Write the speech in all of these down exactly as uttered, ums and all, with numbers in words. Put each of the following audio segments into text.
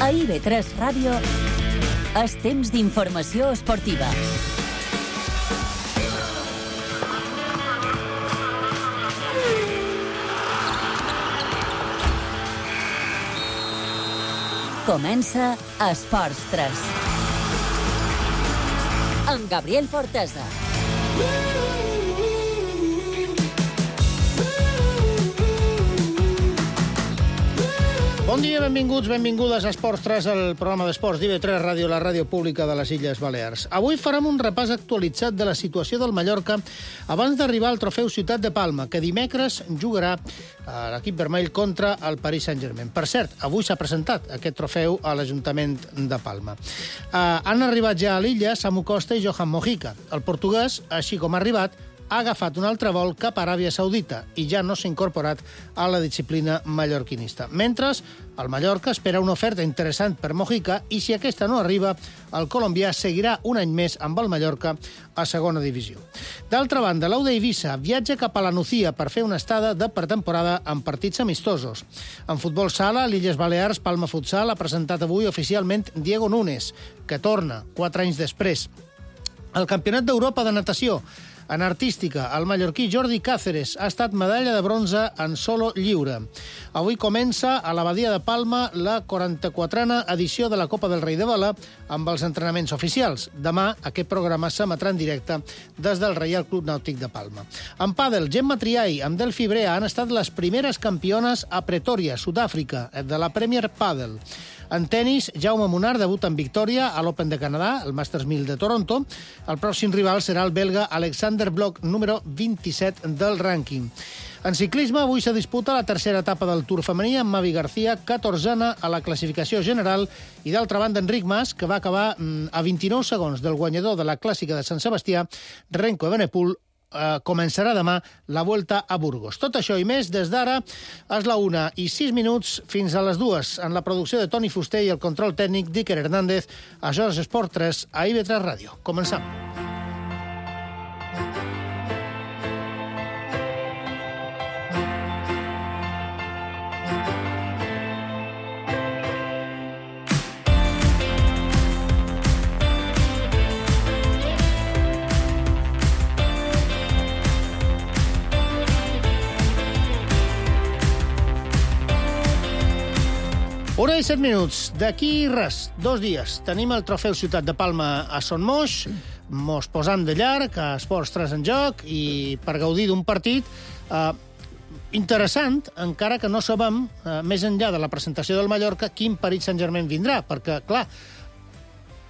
A I B tres Ràdio és temps d'informació esportiva. Comença Esports tres. Amb Gabriel Fortesa. Bon dia, benvinguts, benvingudes a Esports tres, el programa d'esports d'I B tres Ràdio, la ràdio pública de les Illes Balears. Avui farem un repàs actualitzat de la situació del Mallorca abans d'arribar al trofeu Ciutat de Palma, que dimecres jugarà a l'equip vermell contra el Paris Saint-Germain. Per cert, avui s'ha presentat aquest trofeu a l'Ajuntament de Palma. Uh, han arribat ja a l'illa Samu Costa i Johan Mojica. El portuguès, així com ha arribat, ha agafat un altre vol cap a Aràbia Saudita i ja no s'ha incorporat a la disciplina mallorquinista. Mentre, el Mallorca espera una oferta interessant per Mojica i si aquesta no arriba, el colombià seguirà un any més amb el Mallorca a segona divisió. D'altra banda, l'Auda Eivissa viatja cap a la Nucía per fer una estada de pretemporada amb partits amistosos. En futbol sala, l'Illes Balears, Palma Futsal ha presentat avui oficialment Diego Núñez, que torna quatre anys després. El Campionat d'Europa de natació. En artística, el mallorquí Jordi Cáceres ha estat medalla de bronze en solo lliure. Avui comença a l'Abadia de Palma la quaranta-quatrena edició de la Copa del Rei de Vela amb els entrenaments oficials. Demà aquest programa s'emetrà en directe des del Reial Club Nàutic de Palma. En pàdel, Gemma Triay amb Delphi Brea han estat les primeres campiones a Pretòria, Sud-àfrica, de la Premier Padel. En tenis, Jaume Munar debuta en victòria a l'Open de Canadà, el Masters mil de Toronto. El pròxim rival serà el belga Alexander Bloch, número vint-i-set del rànquing. En ciclisme, avui se disputa la tercera etapa del Tour femení amb Mavi García, catorzena a la classificació general, i d'altra banda Enric Mas, que va acabar a vint-i-nou segons del guanyador de la Clàssica de Sant Sebastià, Renko Evenepoel. Uh, començarà demà la Vuelta a Burgos. Tot això i més des d'ara és la una i sis minuts fins a les dues en la producció de Toni Fuster i el control tècnic d'Iker Hernández. Això és Esport tres a I B tres Ràdio. Començam. Una i set minuts. D'aquí res, dos dies. Tenim el trofeu Ciutat de Palma a Son Moix, mos posam de llarg, a Esports tres en joc, i per gaudir d'un partit eh, interessant, encara que no sabem, eh, més enllà de la presentació del Mallorca, quin Paris Saint-Germain vindrà, perquè, clar,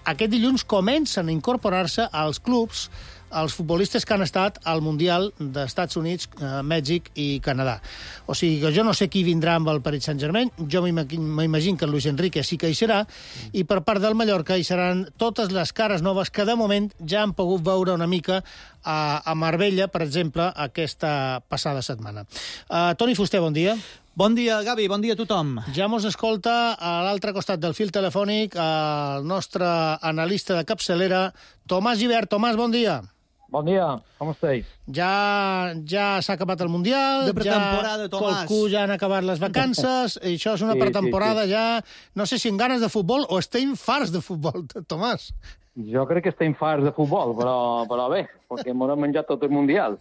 aquest dilluns comencen a incorporar-se als clubs els futbolistes que han estat al Mundial d'Estats Units, eh, Mèxic i Canadà. O sigui que jo no sé qui vindrà amb el Paris Saint-Germain, jo m'imagino que el Luis Enrique sí que hi serà, i per part del Mallorca hi seran totes les cares noves que de moment ja han pogut veure una mica a, a Marbella, per exemple, aquesta passada setmana. Uh, Toni Fuster, bon dia. Bon dia, Gavi, bon dia a tothom. Ja mos escolta a l'altre costat del fil telefònic el nostre analista de capçalera, Tomàs Gibert. Tomàs, bon dia. Bon dia, com esteu? Ja, ja s'ha acabat el Mundial, de pretemporada, ja Tomàs. qualcú ja han acabat les vacances, i això és una Sí, pretemporada sí, sí. ja, no sé si amb ganes de futbol o estem farts de futbol, Tomàs. Jo crec que estem farts de futbol, però, però bé, perquè m'ho menjat tot el Mundial.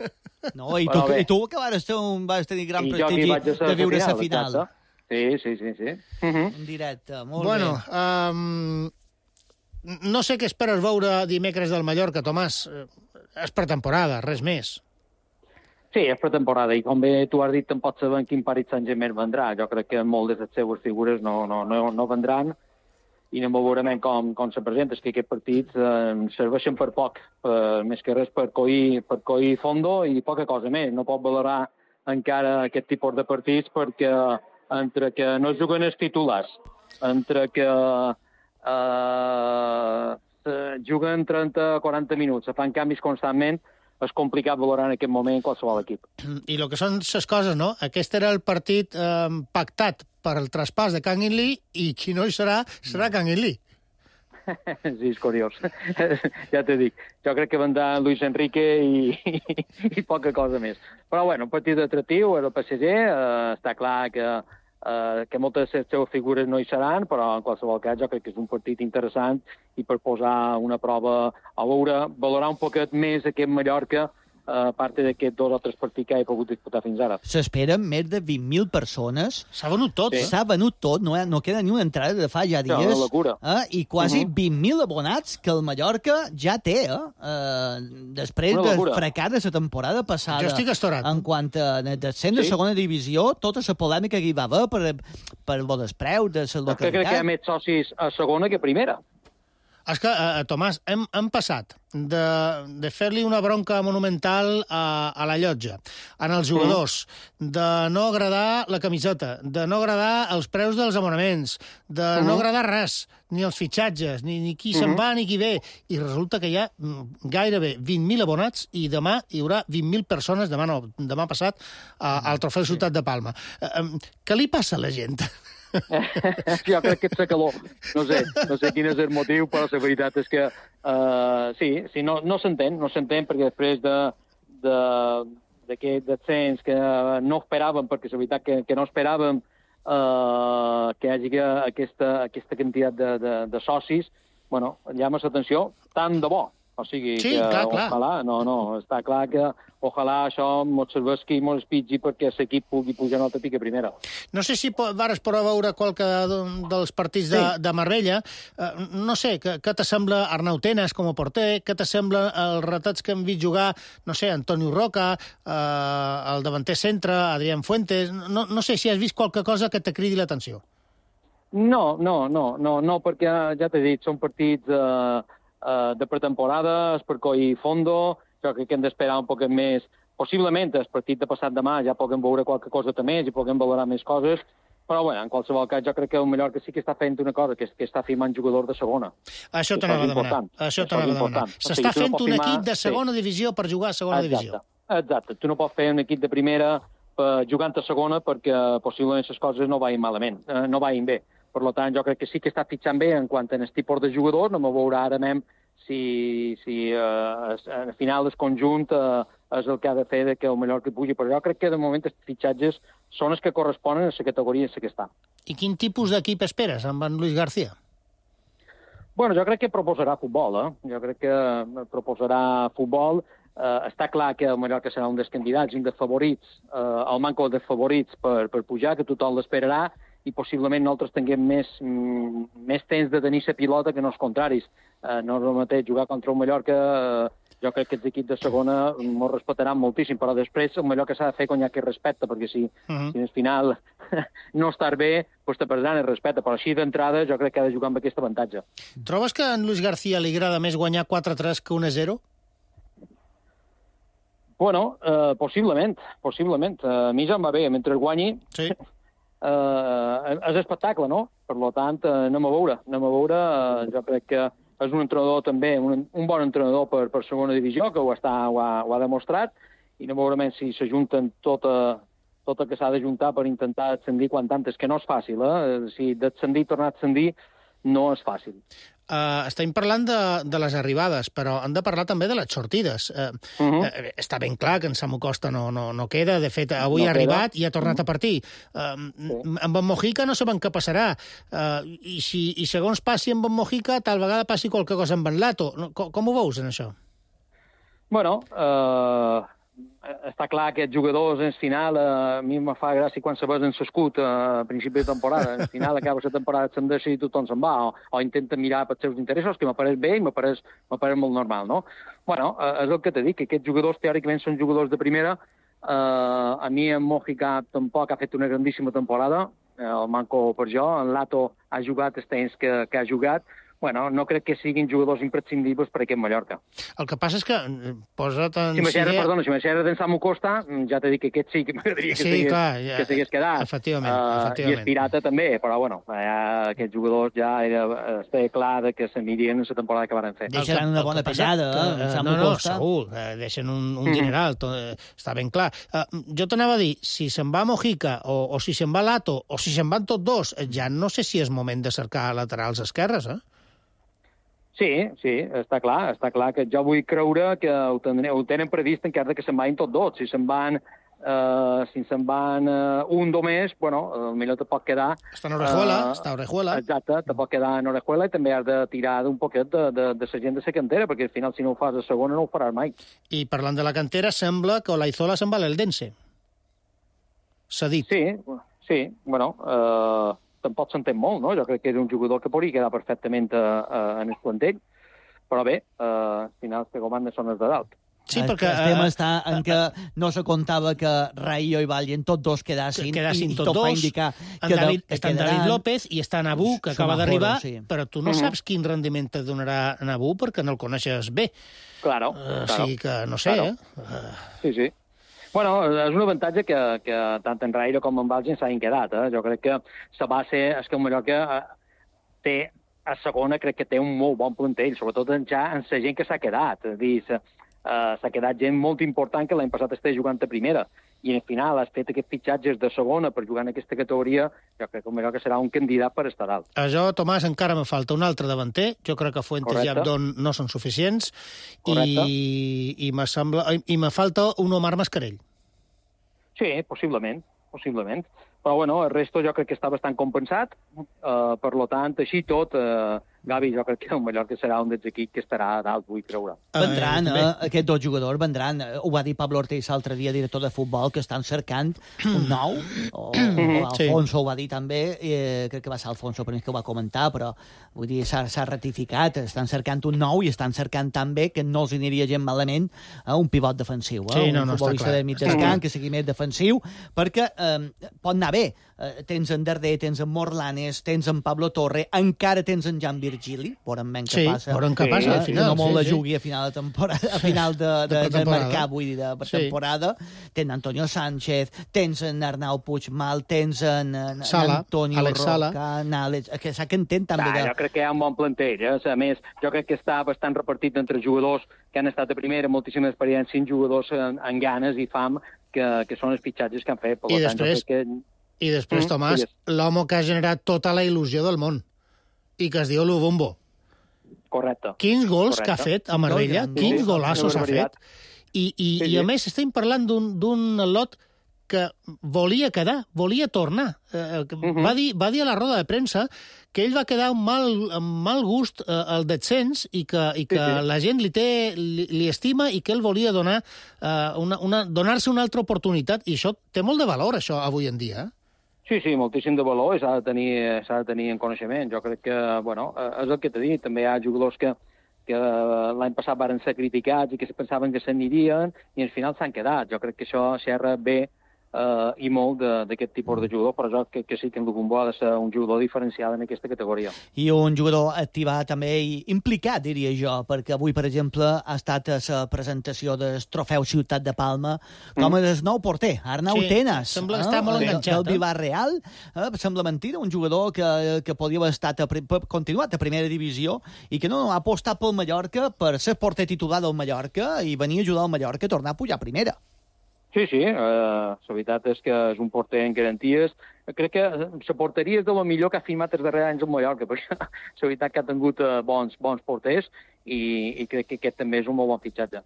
No, i tu, i tu que vas, un, vas tenir gran I jo prestigi aquí vaig a ser de viure la final, final. exacte. Sí, sí, sí, sí. Uh -huh. En directe, molt Bueno, bé. um, no sé què esperes veure dimecres del Mallorca, Tomàs. És pretemporada, res més. Sí, és pretemporada, i com bé tu has dit, en pots saber quin Paris Saint-Germain vendrà. Jo crec que moltes de les seves figures no, no, no, no vendran, i no veurem com, com se presenta. És que aquests partits eh, serveixen per poc, per, més que res per coir, per coir fondo i poca cosa més. No pot valorar encara aquest tipus de partits perquè entre que no juguen els titulars, entre que eh, juguen trenta a quaranta minuts, se fan canvis constantment, és complicat valorar en aquest moment qualsevol equip. I el que són les coses, no? Aquest era el partit eh, pactat per el traspàs de Kang In-lee i qui no hi serà, serà Kang In-lee. Sí, és curiós. Ja t'he dit. Jo crec que vendrà Luis Enrique i, i, i poca cosa més. Però, bueno, un partit atractiu, el P S G, eh, està clar que eh, que moltes de les seves figures no hi seran, però en qualsevol cas jo crec que és un partit interessant i per posar una prova a veure, valorar un poquet més aquest Mallorca, a part d'aquests dos o tres partits que he pogut disputar fins ara. S'esperen més de vint mil persones. S'ha venut tot, sí. eh? S'ha venut tot, no, no queda ni una entrada de fa ja dies. No, una locura. Eh? I quasi uh -huh. vint mil abonats que el Mallorca ja té, eh? eh després del fracàs de la temporada passada. Jo estic estorat. En quant a descens sí. de segona divisió, tota la polèmica que hi va haver per, per el despreu de la localitat. Crec que hi ha més socis a segona que a primera. És que, eh, Tomàs, hem, hem passat de, de fer-li una bronca monumental a, a la llotja, en els jugadors, mm. de no agradar la camiseta, de no agradar els preus dels abonaments, de mm. no agradar res, ni els fitxatges, ni, ni qui mm. se'n va ni qui ve, i resulta que hi ha gairebé vint mil abonats i demà hi haurà vint mil persones, demà no, demà passat, a, al Trofeu Ciutat de Palma. Eh, eh, què li passa a la gent? Jo crec que ets a calor. No sé, no sé quin és el motiu, però la veritat és que uh, sí, sí, no, no s'entén, no s'entén perquè després de, de, d'aquest descens que no esperàvem, perquè la veritat que, que no esperàvem uh, que hi hagi aquesta, aquesta quantitat de, de, de socis, bueno, llama l'atenció, tant de bo. O sigui, sí, que clar, clar. Ojalà, no, no, està clar que ojalà això mos serveixi i mos espitgi perquè l'equip pugui pujar una altra pica primera. No sé si vares poder veure qualque dels partits de, sí. de Marbella. Uh, no sé, què, què t'assembla Arnau Tenas com a porter? Què t'assembla els retats que hem vist jugar, no sé, Antonio Roca, uh, el davanter centre, Adrián Fuentes... No, no sé si has vist qualque cosa que te cridi l'atenció. No, no, no, no, no, perquè ja t'he dit, són partits... Uh, Uh, de pretemporada, es per coir fondo, jo crec que hem d'esperar un poc més. Possiblement, el partit de passat demà ja puguem veure qualque cosa més i puguem valorar més coses, però bueno, en qualsevol cas jo crec que el Mallorca sí que està fent una cosa, que és que està firmant jugadors de segona. Això t'anava a demanar. Això t'anava a demanar. S'està fent un equip de segona divisió per jugar a segona divisió. Exacte. Tu no pots fer un equip de primera jugant a segona perquè possiblement les coses no vagin malament, no vagin bé. Per tant, jo crec que sí que està fitxant bé en quant a el tipus de jugador, no me veurà ara même si, si eh, al final el conjunt eh, és el que ha de fer de que el Mallorca pugi, però jo crec que de moment els fitxatges són els que corresponen a la categoria en la que està. I quin tipus d'equip esperes amb en Luis García? Bueno, jo crec que proposarà futbol, eh? Jo crec que proposarà futbol. Eh, està clar que el Mallorca serà un dels candidats, un dels favorits, eh, el manco dels favorits per, per pujar, que tothom l'esperarà, i possiblement nosaltres tinguem més, mm, més temps de tenir la pilota que no els contraris. Eh, no és el mateix jugar contra un Mallorca, eh, jo crec que els equips de segona m'ho respectaran moltíssim, però després el Mallorca s'ha de fer quan hi ha que respecte, perquè si, uh-huh. si al final no estàs bé, doncs te perdran el respecte, però així d'entrada jo crec que ha de jugar amb aquest avantatge. Trobes que a en Luis García li agrada més guanyar quatre a tres que un a zero? Bueno, eh, possiblement, possiblement. A mi ja em va bé, mentre guanyi... Sí. Uh, és espectacle, no? Per tant, uh, anem a veure. Anem a veure. Uh, jo crec que és un entrenador també, un, un bon entrenador per, per segona divisió, que ho, està, ho, ha, ho ha demostrat, i anem a veure si s'ajunten tota, tot el que s'ha d'ajuntar per intentar ascendir quan tantes, que no és fàcil, eh? Si d'ascendir i tornar a ascendir no és fàcil. Uh, estem parlant de, de les arribades, però hem de parlar també de les sortides. Uh, uh -huh. uh, està ben clar que en Samu Costa no, no, no queda. De fet, avui no ha arribat queda. I ha tornat uh -huh. a partir. Uh, sí. Amb en Mojica no sabem què passarà. Uh, i, si, I segons passi amb en Mojica, tal vegada passi qualque cosa amb en Lato. Com, com ho veus, en això? Bueno, uh, està clar que els jugadors, en final, uh, a mi me fa gràcia quan se besen l'escut uh, a principi de temporada. En final acaba la temporada, se'n deixa i tothom se'n va, o, o intenta mirar pels seus interessos, que m'apareix bé i m'apareix molt normal, no? Bueno, uh, és el que t'he dit, que aquests jugadors teòricament són jugadors de primera. Uh, a mi en Mojica tampoc ha fet una grandíssima temporada, uh, el manco per jo. En Lato ha jugat els temps que, que ha jugat. Bueno, no crec que siguin jugadors imprescindibles per aquest Mallorca. El que passa és que posa't en... Si m'aixerra, sigué... perdona, si m'aixerra d'en Samu Costa, ja t'he dit que aquest sí que m'agradaria que sí, ja, s'hagués quedat. Efectivament, uh, efectivament. I el Pirata també, però bueno, ja, aquests jugadors ja era, estava clar que s'anirien en la temporada que van fer. Deixaran una bona pesada, eh, en Samu no, no, Costa. segur, eh, deixen un, un dineral, tot, eh, està ben clar. Uh, jo t'anava a dir, si se'n va Mojica, o, o si se'n va Lato, o si se'n van tots dos, ja no sé si és moment de cercar laterals esquerres, eh? Sí, sí, està clar, està clar que jo vull creure que ho, tenen, ho tenen previst encara que se'n vagin tots dos. Si se'n van Uh, si se'n van uh, un només, bueno, potser te pot quedar... Està en Orejuela, uh, està a Orejuela. Exacte, te pot quedar en Orejuela i també has de tirar d'un poquet de, de, de la gent de la cantera, perquè al final si no ho fas a segona no ho faràs mai. I parlant de la cantera, sembla que Olaizola se'n va a l'Eldense. S'ha dit. Sí, sí, bueno, uh, tampoc s'entén molt, no? Jo crec que és un jugador que podria quedar perfectament a, a, en el plantell, però bé, uh, al final que comanda són els de dalt. Sí, perquè... El tema està en que no se comptava que Rayo i Vallen tots dos quedassin, quedassin i, i tot tot dos. va indicar que David, que està en David López i està Nabú, que acaba d'arribar, sí. Però tu no uh-huh. saps quin rendiment et donarà Nabú perquè no el coneixes bé. Claro, uh, claro. O sigui que no sé, claro. eh? Uh... Sí, sí. Bueno, és un avantatge que, que tant en Rayo com en Valgen s'hagin quedat. Eh? Jo crec que la base és que el Mallorca té, a segona, crec que té un molt bon plantell, sobretot ja en la gent que s'ha quedat. És a dir, Uh, s'ha quedat gent molt important que l'any passat estava jugant a primera i al final has fet aquests fitxatges de segona per jugar en aquesta categoria, jo crec que el Mallorca serà un candidat per estar alt. A jo, Tomàs, encara me falta un altre davanter. Jo crec que Fuentes Correcte. I Abdon no són suficients Correcte. i, i, me sembla, i me falta un Omar Mascarell. Sí, possiblement, possiblement. Però bueno, el resto jo crec que està bastant compensat, uh, per lo tant, així tot, uh, Gavi, jo crec que el Mallorca serà un dels equips que estarà dalt, vull creure. Vendran, eh, aquests dos jugadors vendran. Ho va dir Pablo Ortiz l'altre dia, director de futbol, que estan cercant un nou, o, o Alfonso sí. Ho va dir també, eh, crec que va ser Alfonso per mi que ho va comentar, però vull dir, s'ha ratificat, estan cercant un nou i estan cercant també que no els aniria gent malament a un pivot defensiu, eh? Sí, un no, no, futbolista de mig descant que sigui més defensiu, perquè eh, pot anar bé. Eh, tens en Darder, tens en Morlanes, tens en Pablo Torre, encara tens en Jan Virgili, veurem ben què sí, passa. veurem què passa, eh? al final. Que no molt sí, la sí. jugui a final de temporada, a final de, de, de, de mercat, vull dir, de temporada. Sí. Tens Antonio Sánchez, tens en Arnau Puigmal, tens en, en, Sala, en Antonio Alex Sala. Roca, en Àlex, que s'ha que entén també. Ah, de... Jo crec que hi ha un bon plantell, eh? A més, jo crec que està bastant repartit entre jugadors que han estat a primera, moltíssima experiència, en jugadors en, en ganes i fam, que, que són els fitxatges que han fet. Per I tant, després... jo crec que... I després, mm, Tomàs, sí, l'home que ha generat tota la il·lusió del món i que es diu Lubombo. Correcte. Quins gols Correcte. que ha fet a Marbella, Sí, quins sí, golassos ha fet. I, i, sí, sí. I a més estem parlant d'un lot que volia quedar, volia tornar. Eh, uh -huh. va, dir, va dir a la roda de premsa que ell va quedar amb mal, amb mal gust eh, al descens i que, i que sí, sí. la gent li, té, li, li estima i que ell volia donar eh, una, una, donar-se una altra oportunitat. I això té molt de valor, això, avui en dia. Sí, sí, moltíssim de valor i s'ha de, tenir, s'ha de tenir en coneixement. Jo crec que, bueno, és el que t'he dit. També hi ha jugadors que, que l'any passat varen ser criticats i que pensaven que s'anirien i al final s'han quedat. Jo crec que això xerra bé Uh, i molt d'aquest tipus de jugador, però jo que, que sí que en Lubombo ha de ser un jugador diferenciat en aquesta categoria. I un jugador activat també i implicat, diria jo, perquè avui, per exemple, ha estat a la presentació del trofeu Ciutat de Palma com mm. el nou porter, Arnau sí, Tenas. Sembla que està molt enganxat. Del Villarreal, eh? Sembla mentida, un jugador que, que podia haver estat a, continuat a primera divisió i que no ha apostat pel Mallorca per ser porter titular del Mallorca i venir a ajudar al Mallorca a tornar a pujar a primera. Sí, sí, eh, la veritat és que és un porter en garanties. Crec que la porteria és de lo millor que ha firmat els darrers anys al Mallorca, perquè la veritat que ha tingut eh, bons, bons porters i, i crec que aquest també és un molt bon fitxatge.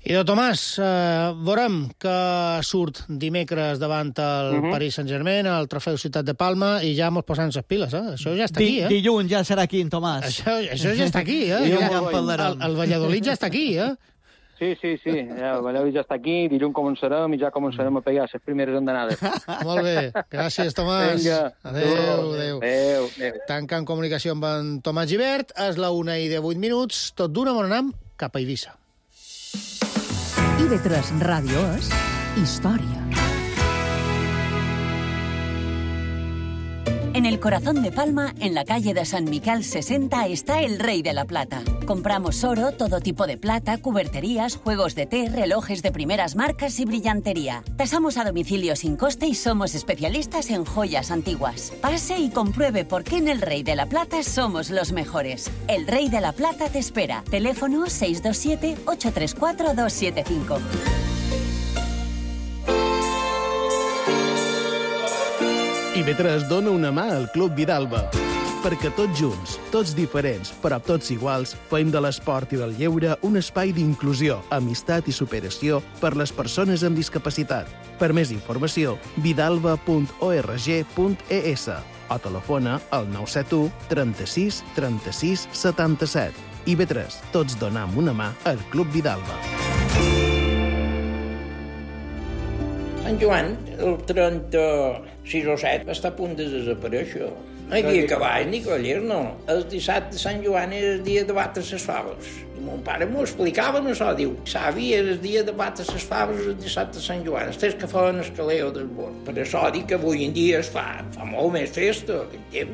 I de Tomàs, eh, veurem que surt dimecres davant el uh -huh. Paris Saint-Germain, el trofeu Ciutat de Palma, i ja mos posant les piles, eh? Això ja està aquí, eh? Dilluns ja serà aquí, en Tomàs. Això, això ja està aquí, eh? Ja, ja, ja el, el Valladolid ja està aquí, eh? Sí, sí, sí. Ja, el Valladolid ja està aquí, dilluns començarem i ja començarem a pegar les primeres andanades. Molt bé. Gràcies, Tomàs. Vinga. Adéu, adéu. Adéu, adéu. Tancant comunicació amb en Tomàs Gibert, és la una i de vuit minuts, tot d'una bon anam cap a Eivissa. I ve tres Ràdio és història. En el corazón de Palma, en la calle de San Miquel sesenta, está el Rey de la Plata. Compramos oro, todo tipo de plata, cuberterías, juegos de té, relojes de primeras marcas y brillantería. Tasamos a domicilio sin coste y somos especialistas en joyas antiguas. Pase y compruebe por qué en el Rey de la Plata somos los mejores. El Rey de la Plata te espera. Teléfono seis dos siete, ocho tres cuatro, dos siete cinco. I V tres dona una mà al Club Vidalba. perquè tots junts, tots diferents, però tots iguals, fem de l'esport i del lleure un espai d'inclusió, amistat i superació per les persones amb discapacitat. Per més informació, vidalba punt org punt es o telefona al nou set u trenta-sis trenta-sis setanta-set. I B tres, tots donam una mà al Club Vidalba. Sant Joan, el trenta-sis o set, està a punt de desaparèixer. No hi havia cavall ni cavallers, no. El dissabte de Sant Joan era el dia de batre les faves. I mon pare m'ho explicava, no això, diu, savi, era el dia de batre les faves el dissabte de Sant Joan. Els que feien el caleo del bord. Per això dic que avui en dia es fa, fa molt més festa.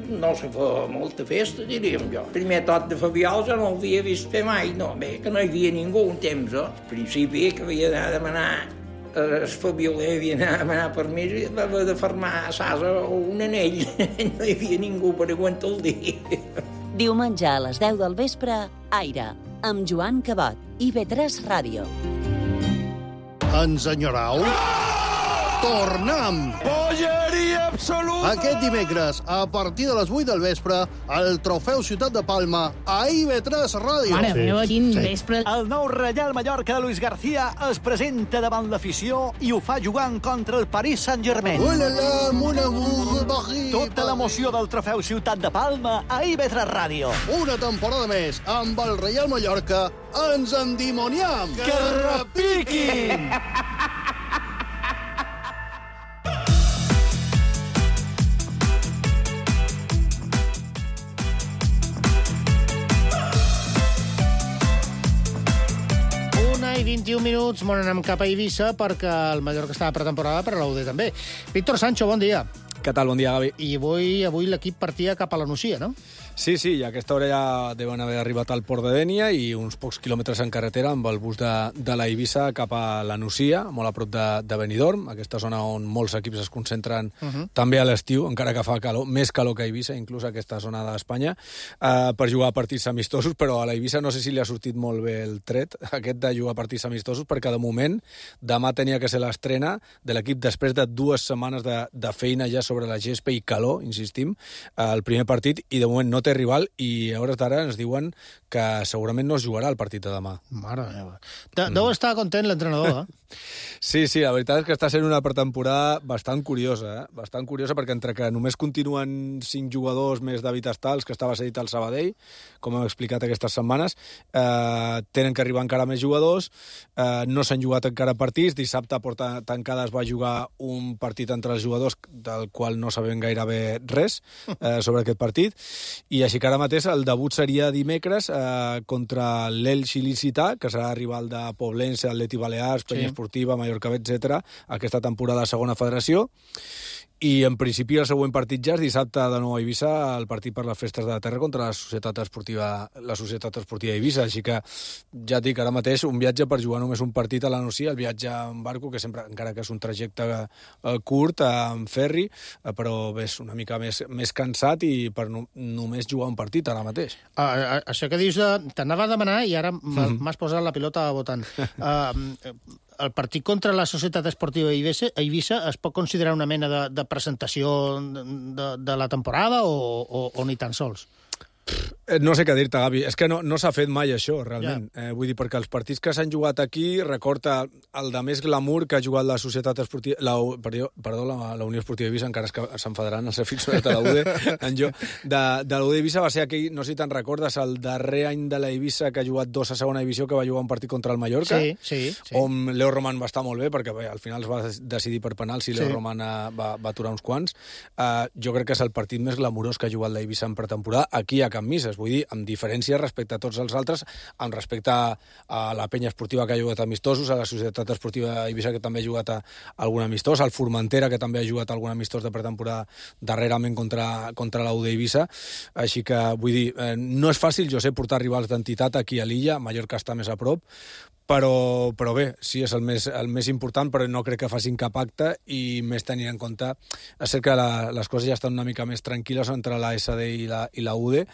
No se fa molta festa, diríem jo. El primer tot de Fabiol jo no l'havia vist fer mai, no. Bé, que no hi havia ningú un temps, eh? Al principi que havia d'anar a demanar el Fabioler havia d'anar a demanar permís i va haver de fermar a Sasa un anell. No hi havia ningú per aguantar el dia. Diumenge a les deu del vespre, Aire, amb Joan Cabot, I B tres Ràdio. Ens enyorau? Tornem! Bogeria absoluta! Aquest dimecres, a partir de les vuit del vespre, el Trofeu Ciutat de Palma a I B tres Ràdio. Mare sí. meva, quin sí. vespre. El nou Reial Mallorca de Luis García es presenta davant l'afició i ho fa jugant contra el Paris Saint-Germain. Oh là là, mon amour, Paris. Tota l'emoció del Trofeu Ciutat de Palma a I B tres Ràdio. Una temporada més amb el Reial Mallorca. Ens endimoniam! Que repiquin! I vint-i-un minuts, m'on anem cap a Eivissa perquè el Mallorca està a pretemporada, però l'U D també. Víctor Sancho, bon dia. Què tal? Bon dia, Gavi. I avui, avui l'equip partia cap a la Nucia, no? Sí, sí, i a aquesta hora ja deuen haver arribat al port de Dénia i uns pocs quilòmetres en carretera amb el bus de, de la Eivissa cap a la Nucia, molt a prop de, de Benidorm, aquesta zona on molts equips es concentren uh -huh. també a l'estiu, encara que fa calor, més calor que a Eivissa, inclús a aquesta zona d'Espanya, eh, per jugar a partits amistosos, però a la Eivissa no sé si li ha sortit molt bé el tret, aquest de jugar a partits amistosos, perquè de moment demà tenia que ser l'estrena de l'equip després de dues setmanes de, de feina ja sobre la gespa i calor, insistim, eh, el primer partit, i de moment no té rival, i a hores d'ara ens diuen que segurament no es jugarà el partit de demà. Mare meva. De, deu estar content l'entrenador, eh? Sí, sí, la veritat és que està sent una pretemporada bastant curiosa, eh? Bastant curiosa, perquè entre que només continuen cinc jugadors més David Astals, que estava cedit al Sabadell, com hem explicat aquestes setmanes, eh, tenen que arribar encara més jugadors, eh, no s'han jugat encara partits, dissabte a porta tancada es va jugar un partit entre els jugadors del qual no sabem gairebé res eh, sobre aquest partit, i així que ara mateix el debut seria dimecres eh, contra l'Elx il·licità, que serà rival de Poblense, Atleti Balears, Penya sí. Esportiva, Mallorca, etcètera, aquesta temporada a segona federació. I en principi el següent partit ja és dissabte de nou a Eivissa, el partit per les festes de la terra contra la Societat Esportiva la Societat Esportiva d'Eivissa, així que ja et dic, ara mateix un viatge per jugar només un partit a la Nucia, el viatge en barco, que sempre, encara que és un trajecte eh, curt, en ferri, eh, però bé, és una mica més, més cansat i per no, només jugar un partit ara mateix. Uh, això que dius, uh, t'anava a demanar i ara mm. m'has posat la pilota votant. Uh, el partit contra la Societat Esportiva Eivissa es pot considerar una mena de, de presentació de, de la temporada o, o, o ni tan sols? No sé què dir-te, Gavi. És que no, no s'ha fet mai això, realment. Ja. Eh, vull dir, perquè els partits que s'han jugat aquí, recorda el de més glamour que ha jugat la Societat Esportiva... La, perdó, perdó la, la Unió Esportiva d'Eivissa, encara és que s'enfadaran els aficionats de la U D, en jo. De, de la U D Eivissa va ser aquell, no sé si te'n recordes, el darrer any de la Eivissa que ha jugat dos a segona divisió, que va jugar un partit contra el Mallorca, sí, sí, sí. on Leo Roman va estar molt bé, perquè bé, al final es va decidir per penal si Leo sí. Roman va, va aturar uns quants. Uh, jo crec que és el partit més glamurós que ha jugat la Eivissa en pretemporada, aquí a Can Mises, vull dir, amb diferència respecte a tots els altres, amb respecte a, a la penya esportiva que ha jugat amistosos, a la Societat Esportiva Eivissa, que també ha jugat a, a algun amistós, al Formentera, que també ha jugat a algun amistós de pretemporada darrerament contra, contra la U D Eivissa. Així que, vull dir, eh, no és fàcil, jo sé, portar rivals d'entitat aquí a l'illa, Mallorca està més a prop, però, però bé, sí, és el més, el més important, però no crec que facin cap acte, i més tenint en compte, és cert que la, les coses ja estan una mica més tranquil·les entre la S D i la, i la U D,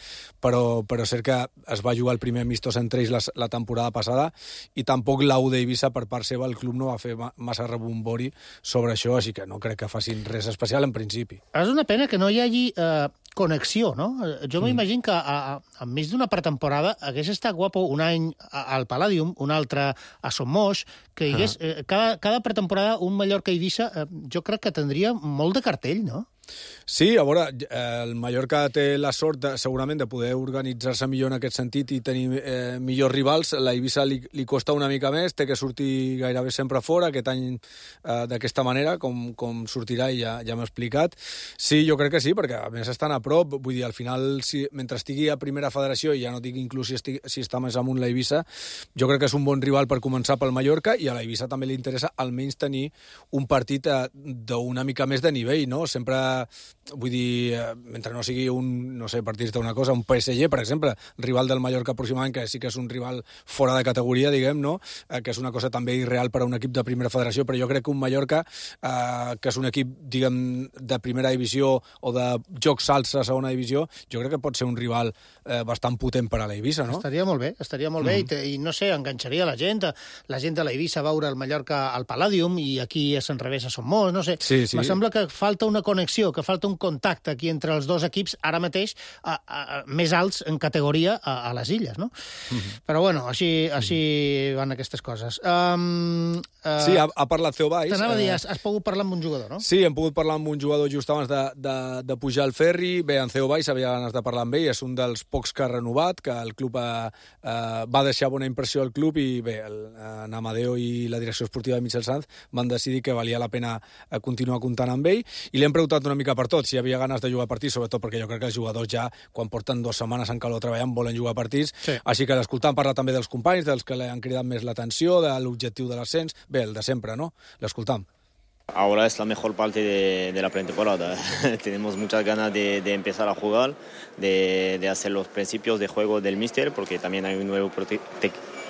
però, però és cert que es va jugar el primer amistós entre ells la, la temporada passada, i tampoc la U D Eivissa, per part seva, el club no va fer massa rebombori sobre això, així que no crec que facin res especial en principi. És una pena que no hi hagi eh, connexió, no? Jo mm. m'imagino que a, a, enmig d'una pretemporada hagués estat guapo un any al Palladium, un altre a Sommoix, que hi hagués, ah. eh, cada, cada pretemporada un Mallorca-Eivissa, eh, jo crec que tindria molt de cartell, no? Sí, a veure, el Mallorca té la sort de, segurament de poder organitzar-se millor en aquest sentit i tenir eh, millors rivals. La Eivissa li, li costa una mica més, té que sortir gairebé sempre fora, aquest any eh, d'aquesta manera, com, com sortirà i ja, ja m'he explicat. Sí, jo crec que sí, perquè a més estan a prop, vull dir, al final, si, mentre estigui a primera federació, i ja no dic inclús si, estigui, si està més amunt la Eivissa, jo crec que és un bon rival per començar pel Mallorca, i a la Eivissa també li interessa almenys tenir un partit eh, d'una mica més de nivell, no? Sempre vull dir, mentre no sigui un, no sé, per dir-te una cosa, un P S G, per exemple, rival del Mallorca aproximadament, que sí que és un rival fora de categoria, diguem, no? Eh, que és una cosa també irreal per a un equip de primera federació, però jo crec que un Mallorca, eh, que és un equip, diguem, de primera divisió o de joc salsa a segona divisió, jo crec que pot ser un rival eh, bastant potent per a la Eivissa, no? Estaria molt bé, estaria molt mm-hmm. bé, i, i no sé, enganxaria la gent, la gent de la Eivissa a veure el Mallorca al Palladium, i aquí a Sant Revés a Sommoix, no sé. Sí, sí. Me sembla que falta una connexió, que falta un contacte aquí entre els dos equips, ara mateix a, a, a, més alts en categoria a, a les illes, no? Mm-hmm. Però bueno, així, així van aquestes coses. Um, uh, sí, ha, ha parlat Theo Valls. T'anava a dir, has, has pogut parlar amb un jugador, no? Sí, hem pogut parlar amb un jugador just abans de, de, de pujar al ferri. Bé, en Theo Valls havia ganes de parlar amb ell, és un dels pocs que ha renovat, que el club ha, uh, va deixar bona impressió al club, i bé, el, en Amadeo i la direcció esportiva de Michel Sanz van decidir que valia la pena continuar comptant amb ell, i li hem preguntat una mica per tot, si havia ganes de jugar partits, sobretot perquè jo crec que els jugadors ja, quan porten dues setmanes en calor treballant, volen jugar partits, sí. Així que l'escoltant parla també dels companys, dels que li han cridat més l'atenció, de l'objectiu de l'ascens, bé, el de sempre, ¿no? L'escoltam. Ahora es la mejor parte de, de la pretemporada. Tenemos muchas ganas de, de empezar a jugar, de, de hacer los principios de juego del míster, porque también hay un nuevo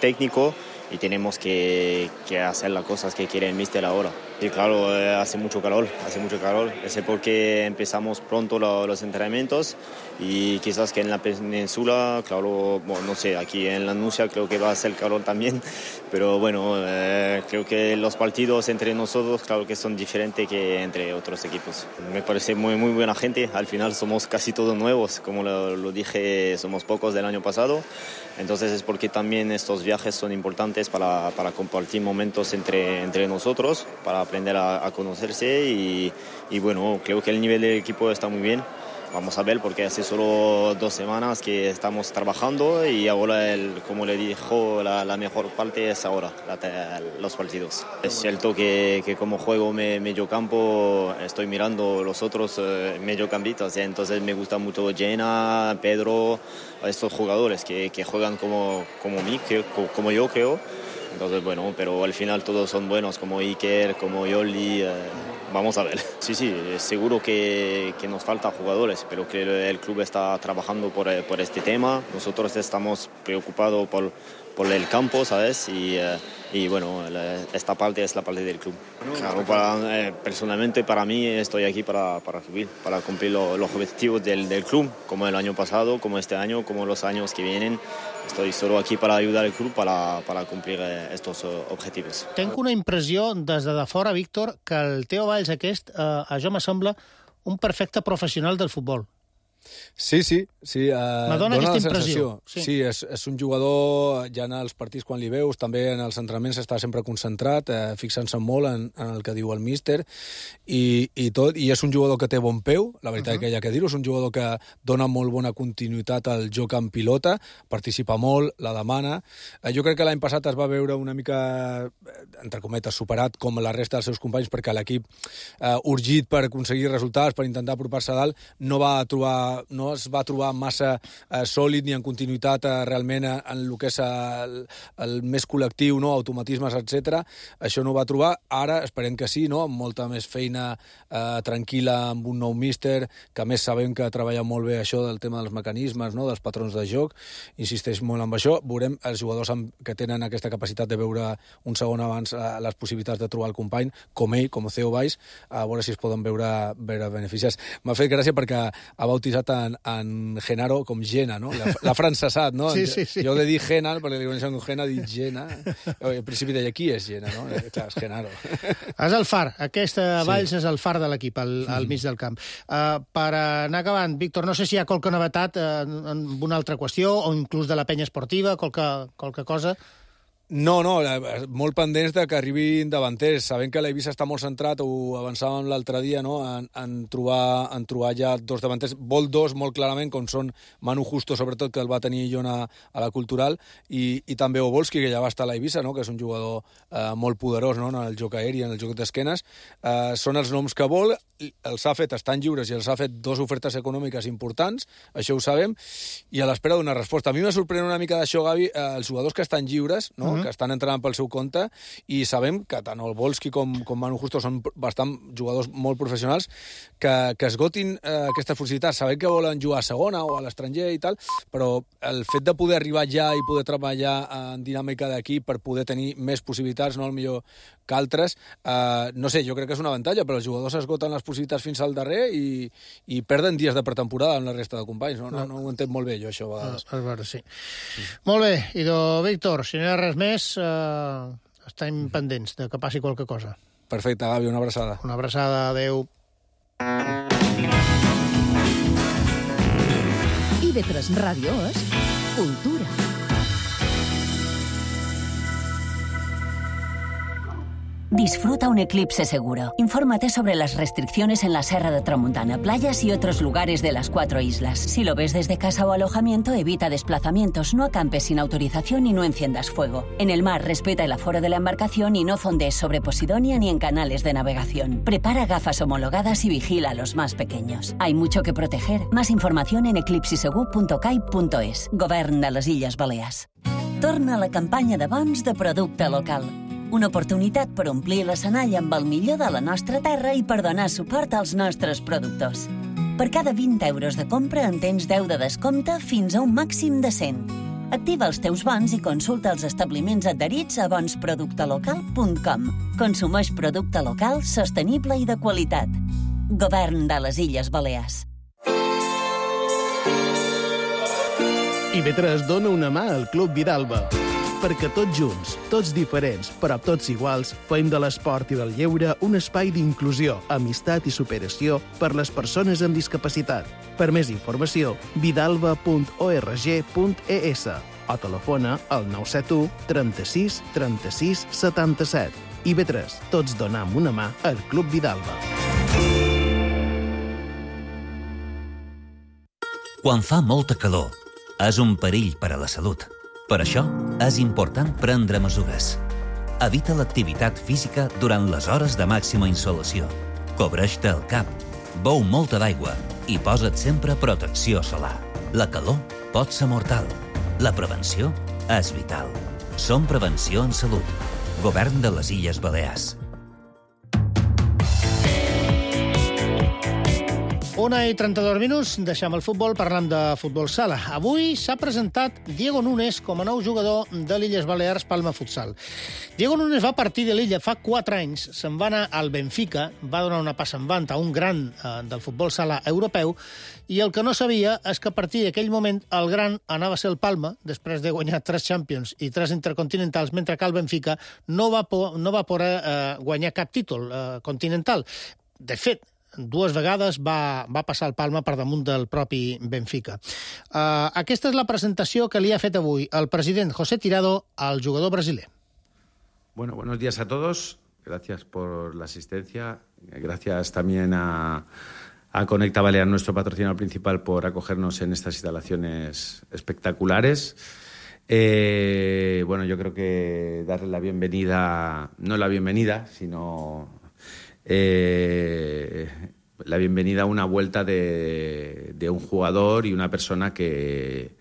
técnico y tenemos que, que hacer las cosas que quiere el míster ahora. Y claro, hace mucho calor, hace mucho calor. Ese es porque empezamos pronto lo, los entrenamientos, y quizás que en la península, claro, bueno, no sé, aquí en la Nucia creo que va a ser calor también, pero bueno, eh, creo que los partidos entre nosotros, claro que son diferentes que entre otros equipos. Me parece muy, muy buena gente, al final somos casi todos nuevos, como lo, lo dije, somos pocos del año pasado, entonces es porque también estos viajes son importantes para, para compartir momentos entre, entre nosotros, para aprender a, a conocerse, y, y bueno, creo que el nivel del equipo está muy bien. Vamos a ver, porque hace solo dos semanas que estamos trabajando, y ahora, el, como le dijo, la, la mejor parte es ahora, la, los partidos. Es cierto que, que como juego me, medio campo, estoy mirando los otros eh, mediocampistas, ¿eh? Entonces me gusta mucho Jenna, Pedro, estos jugadores que, que juegan como, como, mí, que, como yo creo. Entonces, bueno, pero al final todos son buenos, como Iker, como Yoli, eh, vamos a ver. Sí, sí, seguro que, que nos faltan jugadores, pero que el club está trabajando por, por este tema. Nosotros estamos preocupados por, por el campo, ¿sabes? Y, eh, y bueno, la, esta parte es la parte del club. Claro, para, eh, personalmente para mí estoy aquí para, para subir, para cumplir lo, los objetivos del, del club, como el año pasado, como este año, como los años que vienen. Estoy solo aquí para ayudar al club para, para cumplir estos objetivos. Tenc una impressió des de fora, Víctor, que el Theo Valls aquest, eh, a jo m'assembla un perfecte professional del futbol. Sí, sí, sí. Uh, M'adona aquesta impressió. Sí, sí és, és un jugador, ja en els partits quan li veus, també en els entrenaments està sempre concentrat, eh, fixant-se molt en, en el que diu el míster, i, i tot, i és un jugador que té bon peu, la veritat uh -huh. que hi ha que dir-ho, és un jugador que dona molt bona continuïtat al joc en pilota, participa molt, la demana. Eh, jo crec que l'any passat es va veure una mica, entre cometes, superat com la resta dels seus companys, perquè l'equip, eh, urgit per aconseguir resultats, per intentar apropar-se a dalt, no va trobar no es va trobar massa eh, sòlid ni en continuïtat eh, realment en, en el que és el, el més col·lectiu, no? Automatismes, etcètera. Això no ho va trobar. Ara esperem que sí, no? Amb molta més feina eh, tranquil·la, amb un nou míster, que a més sabem que treballa molt bé això del tema dels mecanismes, no? Dels patrons de joc. Insisteix molt en això. Veurem els jugadors amb, que tenen aquesta capacitat de veure un segon abans eh, les possibilitats de trobar el company, com ell, com Theo Valls, a veure si es poden veure, veure beneficis. M'ha fet gràcia perquè ha bautitzat bautejat en, en Genaro com Gena, no? L'ha francesat, no? Sí, sí, sí. Jo he de dir Gena, perquè li coneixen com Gena, dic Gena. Al principi deia, qui és Gena, no? Clar, és Genaro. És el far. Aquesta Valls sí. és el far de l'equip, al, al mig del camp. Uh, per anar acabant, Víctor, no sé si hi ha qualque novetat uh, en una altra qüestió, o inclús de la penya esportiva, qualque, qualque cosa... No, no, molt pendents de que arribin davanters. Sabem que l'Eivissa està molt centrat, ho avançàvem l'altre dia, no? en, en, trobar, en trobar ja dos davanters. Vol dos, molt clarament, com són Manu Justo, sobretot, que el va tenir Jona a la Cultural, i, i també Obolski, que ja va estar a l'Eivissa, no? Que és un jugador eh, molt poderós, no? En el joc aeri, en el joc d'esquenes. Eh, són els noms que vol, els ha fet, estan lliures, i els ha fet dos ofertes econòmiques importants, això ho sabem, i a l'espera d'una resposta. A mi m'ha sorprès una mica d'això, Gavi, eh, els jugadors que estan lliures, no? Uh-huh. Que estan entrant pel seu compte, i sabem que tant el Volski com, com Manu Justo són bastant jugadors molt professionals, que, que esgotin eh, aquestes possibilitats. Sabem que volen jugar a segona o a l'estranger i tal, però el fet de poder arribar ja i poder treballar en dinàmica d'equip per poder tenir més possibilitats, no el millor que altres, eh, no sé, jo crec que és un avantatge, però els jugadors esgoten les possibilitats fins al darrer i, i perden dies de pretemporada amb la resta de companys. No, no, no ho entenc molt bé, jo, això, a vegades. A veure, sí. sí. Molt bé, idò, Víctor, si no hi ha res més, Uh, estem pendents de que passi qualque cosa. Perfecte, Gavi, una abraçada. Una abraçada, adeu. I ve tres Ràdio és Cultura. Disfruta un eclipse seguro. Infórmate sobre las restricciones en la Serra de Tramuntana, playas y otros lugares de las cuatro islas. Si lo ves desde casa o alojamiento, evita desplazamientos, no acampes sin autorización y no enciendas fuego. En el mar, respeta el aforo de la embarcación y no fondees sobre Posidonia ni en canales de navegación. Prepara gafas homologadas y vigila a los más pequeños. Hay mucho que proteger. Más información en eclipsisegur punto cai punto es. Govern de les Illes Balears. Torna a la campanya de bons de producte local. Una oportunitat per omplir l'escenall amb el millor de la nostra terra i per donar suport als nostres productors. Per cada vint euros de compra en tens deu de descompte fins a un màxim de cent. Activa els teus bons i consulta els establiments adherits a bons producte local punt com. Consumeix producte local, sostenible i de qualitat. Govern de les Illes Balears. I ve tres dona una mà al Club Vidalba. Perquè tots junts, tots diferents, però tots iguals, fem de l'esport i del lleure un espai d'inclusió, amistat i superació per les persones amb discapacitat. Per més informació, vidalba punt org punt es o telefona al nou set u trenta-sis trenta-sis setanta-set. I ve tres, tots donam una mà al Club Vidalba. Quan fa molta calor, és un perill per a la salut. Per això, és important prendre mesures. Evita l'activitat física durant les hores de màxima insolació. Cobreix-te el cap, beu molta d'aigua i posa't sempre protecció solar. La calor pot ser mortal. La prevenció és vital. Som Prevenció en Salut. Govern de les Illes Balears. Una i trenta-dos minuts, deixem el futbol, parlant de futbol sala. Avui s'ha presentat Diego Núñez com a nou jugador de l'Illes Balears Palma Futsal. Diego Núñez va partir de l'illa fa quatre anys, se'n va anar al Benfica, va donar una passa en vant a un gran eh, del futbol sala europeu, i el que no sabia és que a partir d'aquell moment el gran anava a ser el Palma, després de guanyar tres Champions i tres Intercontinentals, mentre que el Benfica no va, po no va poder eh, guanyar cap títol eh, continental. De fet, dues vegades va, va passar el Palma per damunt del propi Benfica. Uh, aquesta és la presentació que li ha fet avui el president José Tirado al jugador brasiler. Bueno, buenos días a todos. Gracias por la asistencia. Gracias también a, a Conecta Balear, nuestro patrocinador principal, por acogernos en estas instalaciones espectaculares. Eh, bueno, yo creo que darle la bienvenida, no la bienvenida, sino... Eh, la bienvenida a una vuelta de, de un jugador y una persona que,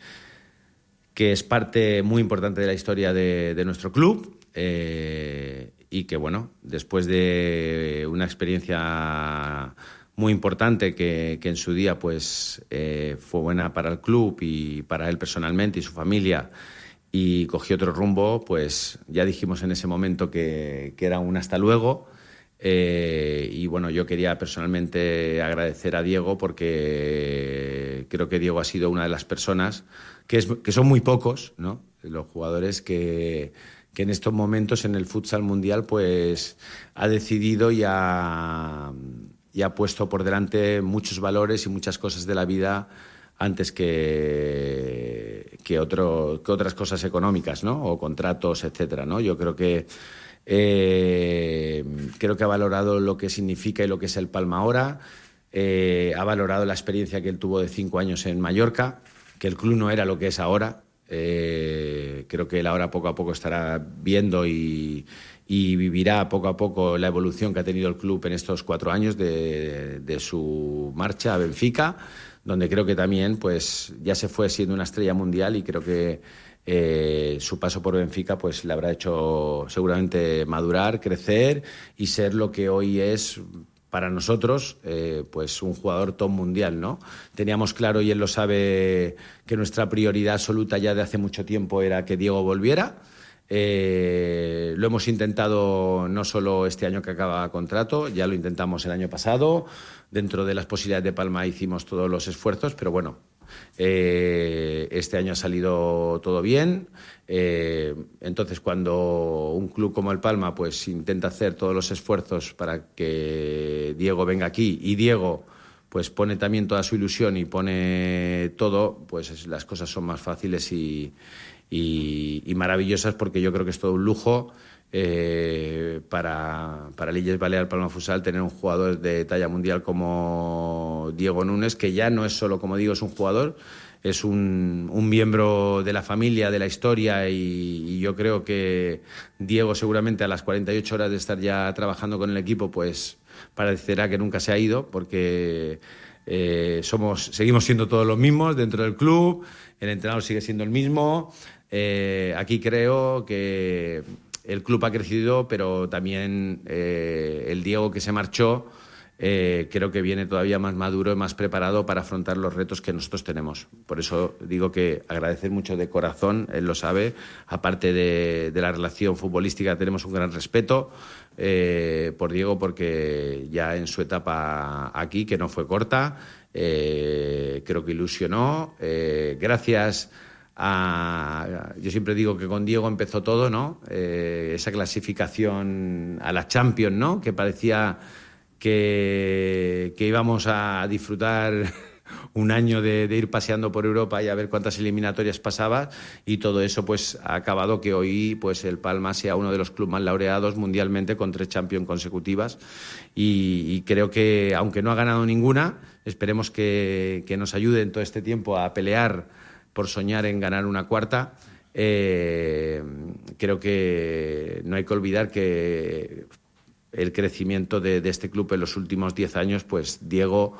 que es parte muy importante de la historia de, de nuestro club eh, y que, bueno, después de una experiencia muy importante que, que en su día pues eh, fue buena para el club y para él personalmente y su familia, y cogió otro rumbo, pues ya dijimos en ese momento que, que era un hasta luego. Eh, y bueno, yo quería personalmente agradecer a Diego porque creo que Diego ha sido una de las personas, que, es, que son muy pocos, ¿no?, los jugadores que, que en estos momentos en el futsal mundial pues ha decidido y ha, y ha puesto por delante muchos valores y muchas cosas de la vida antes que, que, otro, que otras cosas económicas, ¿no?, o contratos, etcétera, ¿no? Yo creo que Eh, creo que ha valorado lo que significa y lo que es el Palma ahora, eh, ha valorado la experiencia que él tuvo de cinco años en Mallorca, que el club no era lo que es ahora. Eh, creo que él ahora poco a poco estará viendo y, y vivirá poco a poco la evolución que ha tenido el club en estos cuatro años de, de su marcha a Benfica, donde creo que también pues ya se fue siendo una estrella mundial y creo que Eh, su paso por Benfica pues le habrá hecho seguramente madurar, crecer y ser lo que hoy es para nosotros eh, pues un jugador top mundial, ¿no? Teníamos claro, y él lo sabe, que nuestra prioridad absoluta ya de hace mucho tiempo era que Diego volviera. Eh, lo hemos intentado no solo este año que acaba contrato, ya lo intentamos el año pasado, dentro de las posibilidades de Palma hicimos todos los esfuerzos, pero bueno, Eh, este año ha salido todo bien. Eh, entonces, cuando un club como el Palma pues intenta hacer todos los esfuerzos para que Diego venga aquí y Diego pues pone también toda su ilusión y pone todo, pues las cosas son más fáciles y, y, y maravillosas, porque yo creo que es todo un lujo Eh, para, para Illes Balears Palma Futsal tener un jugador de talla mundial como Diego Núñez, que ya no es solo, como digo, es un jugador, es un, un miembro de la familia, de la historia, y, y yo creo que Diego seguramente a las cuarenta y ocho horas de estar ya trabajando con el equipo pues parecerá que nunca se ha ido, porque eh, somos, seguimos siendo todos los mismos dentro del club, el entrenador sigue siendo el mismo. Eh, aquí creo que el club ha crecido, pero también eh, el Diego que se marchó eh, creo que viene todavía más maduro y más preparado para afrontar los retos que nosotros tenemos. Por eso digo que agradecer mucho de corazón, él lo sabe, aparte de, de la relación futbolística tenemos un gran respeto eh, por Diego, porque ya en su etapa aquí, que no fue corta, eh, creo que ilusionó. Eh, gracias A, yo siempre digo que con Diego empezó todo, ¿no? Eh, esa clasificación a la Champions, ¿no?, que parecía que, que íbamos a disfrutar un año de, de ir paseando por Europa y a ver cuántas eliminatorias pasaba, y todo eso pues ha acabado que hoy pues el Palma sea uno de los clubes más laureados mundialmente, con tres Champions consecutivas, y, y creo que, aunque no ha ganado ninguna, esperemos que, que nos ayude en todo este tiempo a pelear por soñar en ganar una cuarta. Eh, creo que no hay que olvidar que el crecimiento de, de este club en los últimos diez años, pues Diego,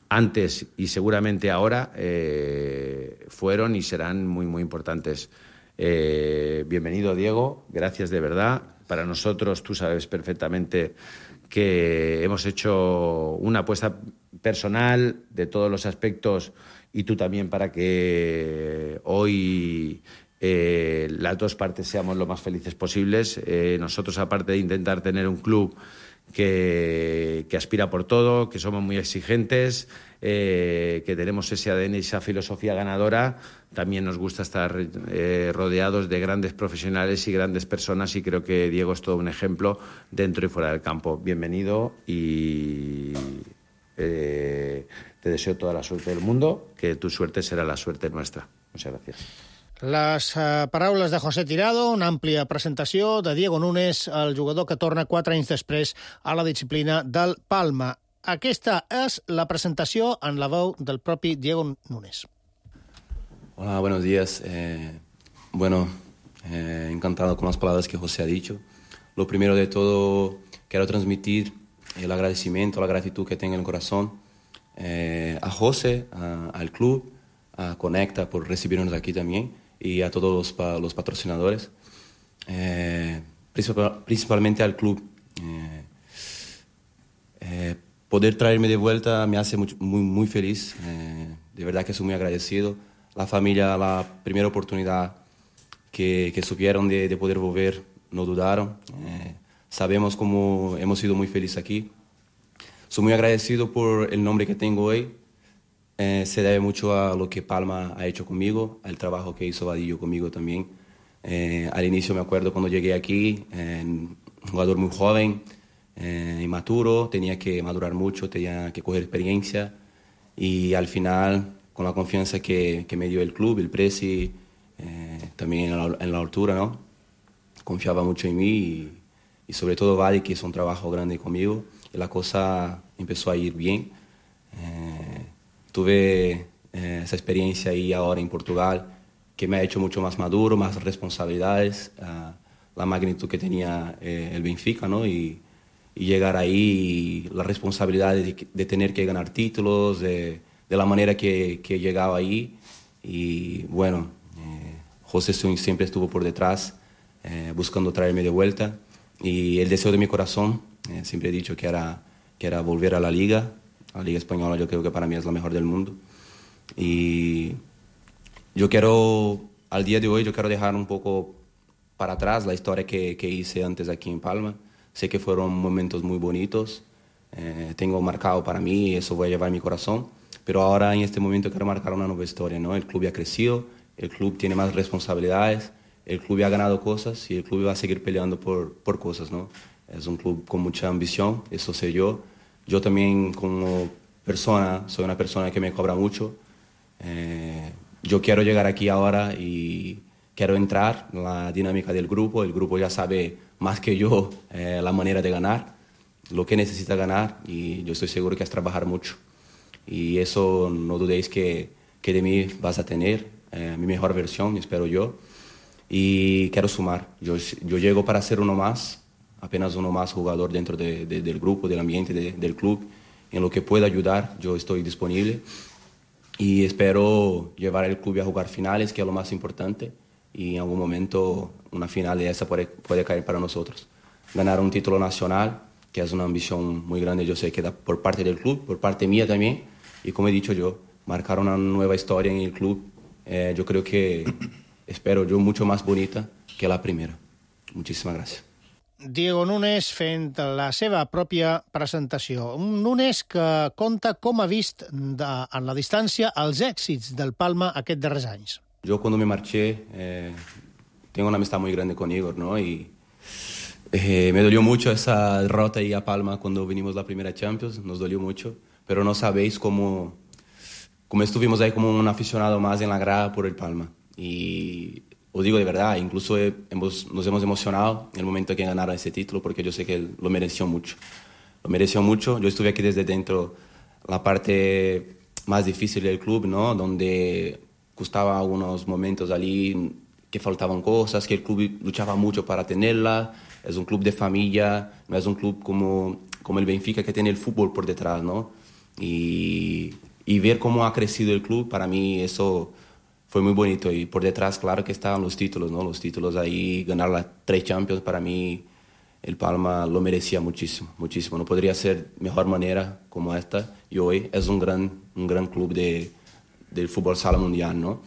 antes y seguramente ahora, eh, fueron y serán muy, muy importantes. Eh, bienvenido, Diego, gracias de verdad. Para nosotros, tú sabes perfectamente que hemos hecho una apuesta personal de todos los aspectos, y tú también, para que hoy eh, las dos partes seamos lo más felices posibles. Eh, nosotros, aparte de intentar tener un club que, que aspira por todo, que somos muy exigentes, eh, que tenemos ese A D N y esa filosofía ganadora, también nos gusta estar eh, rodeados de grandes profesionales y grandes personas, y creo que Diego es todo un ejemplo dentro y fuera del campo. Bienvenido, y Eh, te deseo toda la suerte del mundo, que tu suerte serà la suerte nuestra. Muchas gracias. Les uh, paraules de José Tirado, una àmplia presentació de Diego Núñez, el jugador que torna quatre anys després a la disciplina del Palma. Aquesta és la presentació en la veu del propi Diego Núñez. Hola, buenos días. Eh, bueno, eh, encantado con las palabras que José ha dicho. Lo primero de todo, quiero transmitir el agradecimiento, la gratitud que tengo en el corazón eh, a José, a, al club, a Conecta por recibirnos aquí también, y a todos los, pa, los patrocinadores, eh, principal, principalmente al club. Eh, eh, poder traerme de vuelta me hace muy, muy, muy feliz, eh, de verdad que soy muy agradecido. La familia, la primera oportunidad que, que supieron de, de poder volver, no dudaron. Eh, sabemos cómo hemos sido muy felices aquí. Soy muy agradecido por el nombre que tengo hoy. Eh, se debe mucho a lo que Palma ha hecho conmigo, al trabajo que hizo Vadillo conmigo también. Eh, al inicio me acuerdo cuando llegué aquí, eh, un jugador muy joven, eh, inmaturo, tenía que madurar mucho, tenía que coger experiencia y al final, con la confianza que, que me dio el club, el presi, eh, también en la, en la altura, ¿no? Confiaba mucho en mí y, y sobre todo Vadi, que hizo un trabajo grande conmigo y la cosa empezó a ir bien. Eh, tuve eh, esa experiencia ahí ahora en Portugal que me ha hecho mucho más maduro, más responsabilidades, uh, la magnitud que tenía eh, el Benfica, ¿no? Y, y llegar ahí, y la responsabilidad de, de tener que ganar títulos, de, de la manera que, que llegaba ahí. Y bueno, eh, José siempre estuvo por detrás, eh, buscando traerme de vuelta. Y el deseo de mi corazón, eh, siempre he dicho que era, que era volver a la Liga. La Liga Española yo creo que para mí es la mejor del mundo. Y yo quiero, al día de hoy, yo quiero dejar un poco para atrás la historia que, que hice antes aquí en Palma. Sé que fueron momentos muy bonitos, eh, tengo marcado para mí, eso voy a llevar en mi corazón, pero ahora en este momento quiero marcar una nueva historia, ¿no? El club ya ha crecido, el club tiene más responsabilidades, el club ya ha ganado cosas y el club va a seguir peleando por, por cosas, ¿no? Es un club con mucha ambición, eso sé yo. Yo también como persona, soy una persona que me cobra mucho. Eh, yo quiero llegar aquí ahora y quiero entrar en la dinámica del grupo. El grupo ya sabe más que yo eh, la manera de ganar, lo que necesita ganar y yo estoy seguro que es trabajar mucho. Y eso no dudéis que, que de mí vas a tener eh, mi mejor versión, espero yo. Y quiero sumar. Yo, yo llego para ser uno más, apenas uno más jugador dentro de, de, del grupo, del ambiente, de, del club. En lo que pueda ayudar, yo estoy disponible. Y espero llevar el club a jugar finales, que es lo más importante. Y en algún momento una final de esa puede, puede caer para nosotros. Ganar un título nacional, que es una ambición muy grande, yo sé que da por parte del club, por parte mía también. Y como he dicho yo, marcar una nueva historia en el club, eh, yo creo que, espero yo, mucho más bonita que la primera. Muchísimas gracias. Diego Núñez fent la seva pròpia presentació. Un Núñez que conta com ha vist de, en la distància els èxits del Palma aquests darrers anys. Yo cuando me marché, eh, tengo una amistad muy grande con Igor, ¿no? Y eh, me dolió mucho esa derrota ahí a Palma cuando vinimos la primera Champions, nos dolió mucho, pero no sabéis cómo, cómo estuvimos ahí como un aficionado más en la grada por el Palma. Y os digo de verdad, incluso hemos, nos hemos emocionado en el momento que ganaron ese título porque yo sé que lo mereció mucho. Lo mereció mucho. Yo estuve aquí desde dentro, la parte más difícil del club, ¿no? Donde gustaba algunos momentos allí que faltaban cosas, que el club luchaba mucho para tenerla. Es un club de familia, no es un club como, como el Benfica que tiene el fútbol por detrás, ¿no? Y, y ver cómo ha crecido el club, para mí eso fue muy bonito. Y por detrás, claro que estaban los títulos, ¿no? Los títulos ahí, ganar las tres Champions, para mí el Palma lo merecía muchísimo, muchísimo. No podría ser mejor manera como esta. Y hoy es un gran, un gran club de, del fútbol sala mundial, ¿no?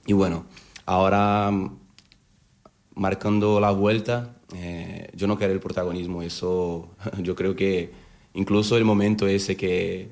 Y bueno, ahora marcando la vuelta, eh, yo no quiero el protagonismo. Eso, yo creo que incluso el momento ese que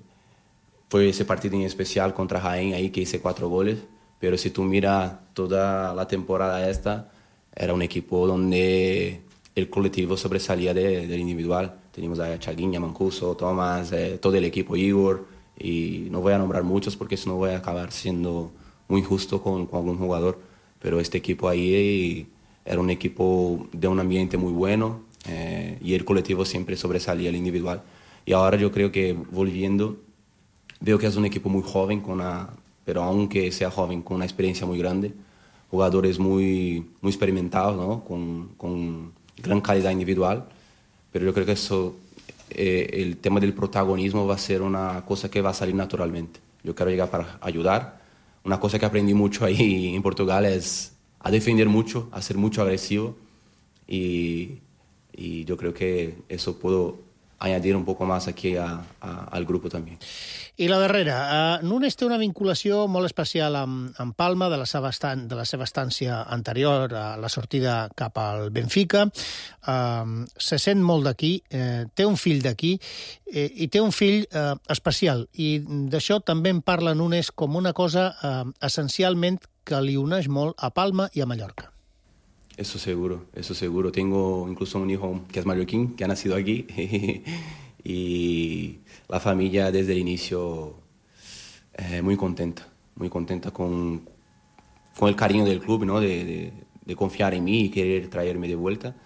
fue ese partido en especial contra Jaén, ahí que hice cuatro goles. Pero si tú miras toda la temporada esta, era un equipo donde el colectivo sobresalía de, del individual. Teníamos a Chaguinha, Mancuso, Tomás, eh, todo el equipo, Igor, y no voy a nombrar muchos porque eso no voy a acabar siendo muy injusto con, con algún jugador. Pero este equipo ahí era un equipo de un ambiente muy bueno eh, y el colectivo siempre sobresalía el individual. Y ahora yo creo que volviendo, veo que es un equipo muy joven con una... pero aunque sea joven, con una experiencia muy grande, jugadores muy, muy experimentados, ¿no? con, con gran calidad individual, pero yo creo que eso, eh, el tema del protagonismo va a ser una cosa que va a salir naturalmente. Yo quiero llegar para ayudar. Una cosa que aprendí mucho ahí en Portugal es a defender mucho, a ser mucho agresivo, y, y yo creo que eso puedo añadir un poco más aquí a, a, al grupo también. I la darrera, uh, Nunes té una vinculació molt especial amb, amb Palma, de la, seva estan, de la seva estància anterior a la sortida cap al Benfica. Uh, se sent molt d'aquí, uh, té un fill d'aquí, uh, i té un fill uh, especial. I d'això també en parla Nunes com una cosa uh, essencialment que li uneix molt a Palma i a Mallorca. Eso seguro, eso seguro. Tengo incluso un hijo que es mallorquín, que ha nacido aquí. Y la familia desde el inicio eh, muy contenta, muy contenta con, con el cariño del club, ¿no? de, de, de confiar en mí y querer traerme de vuelta.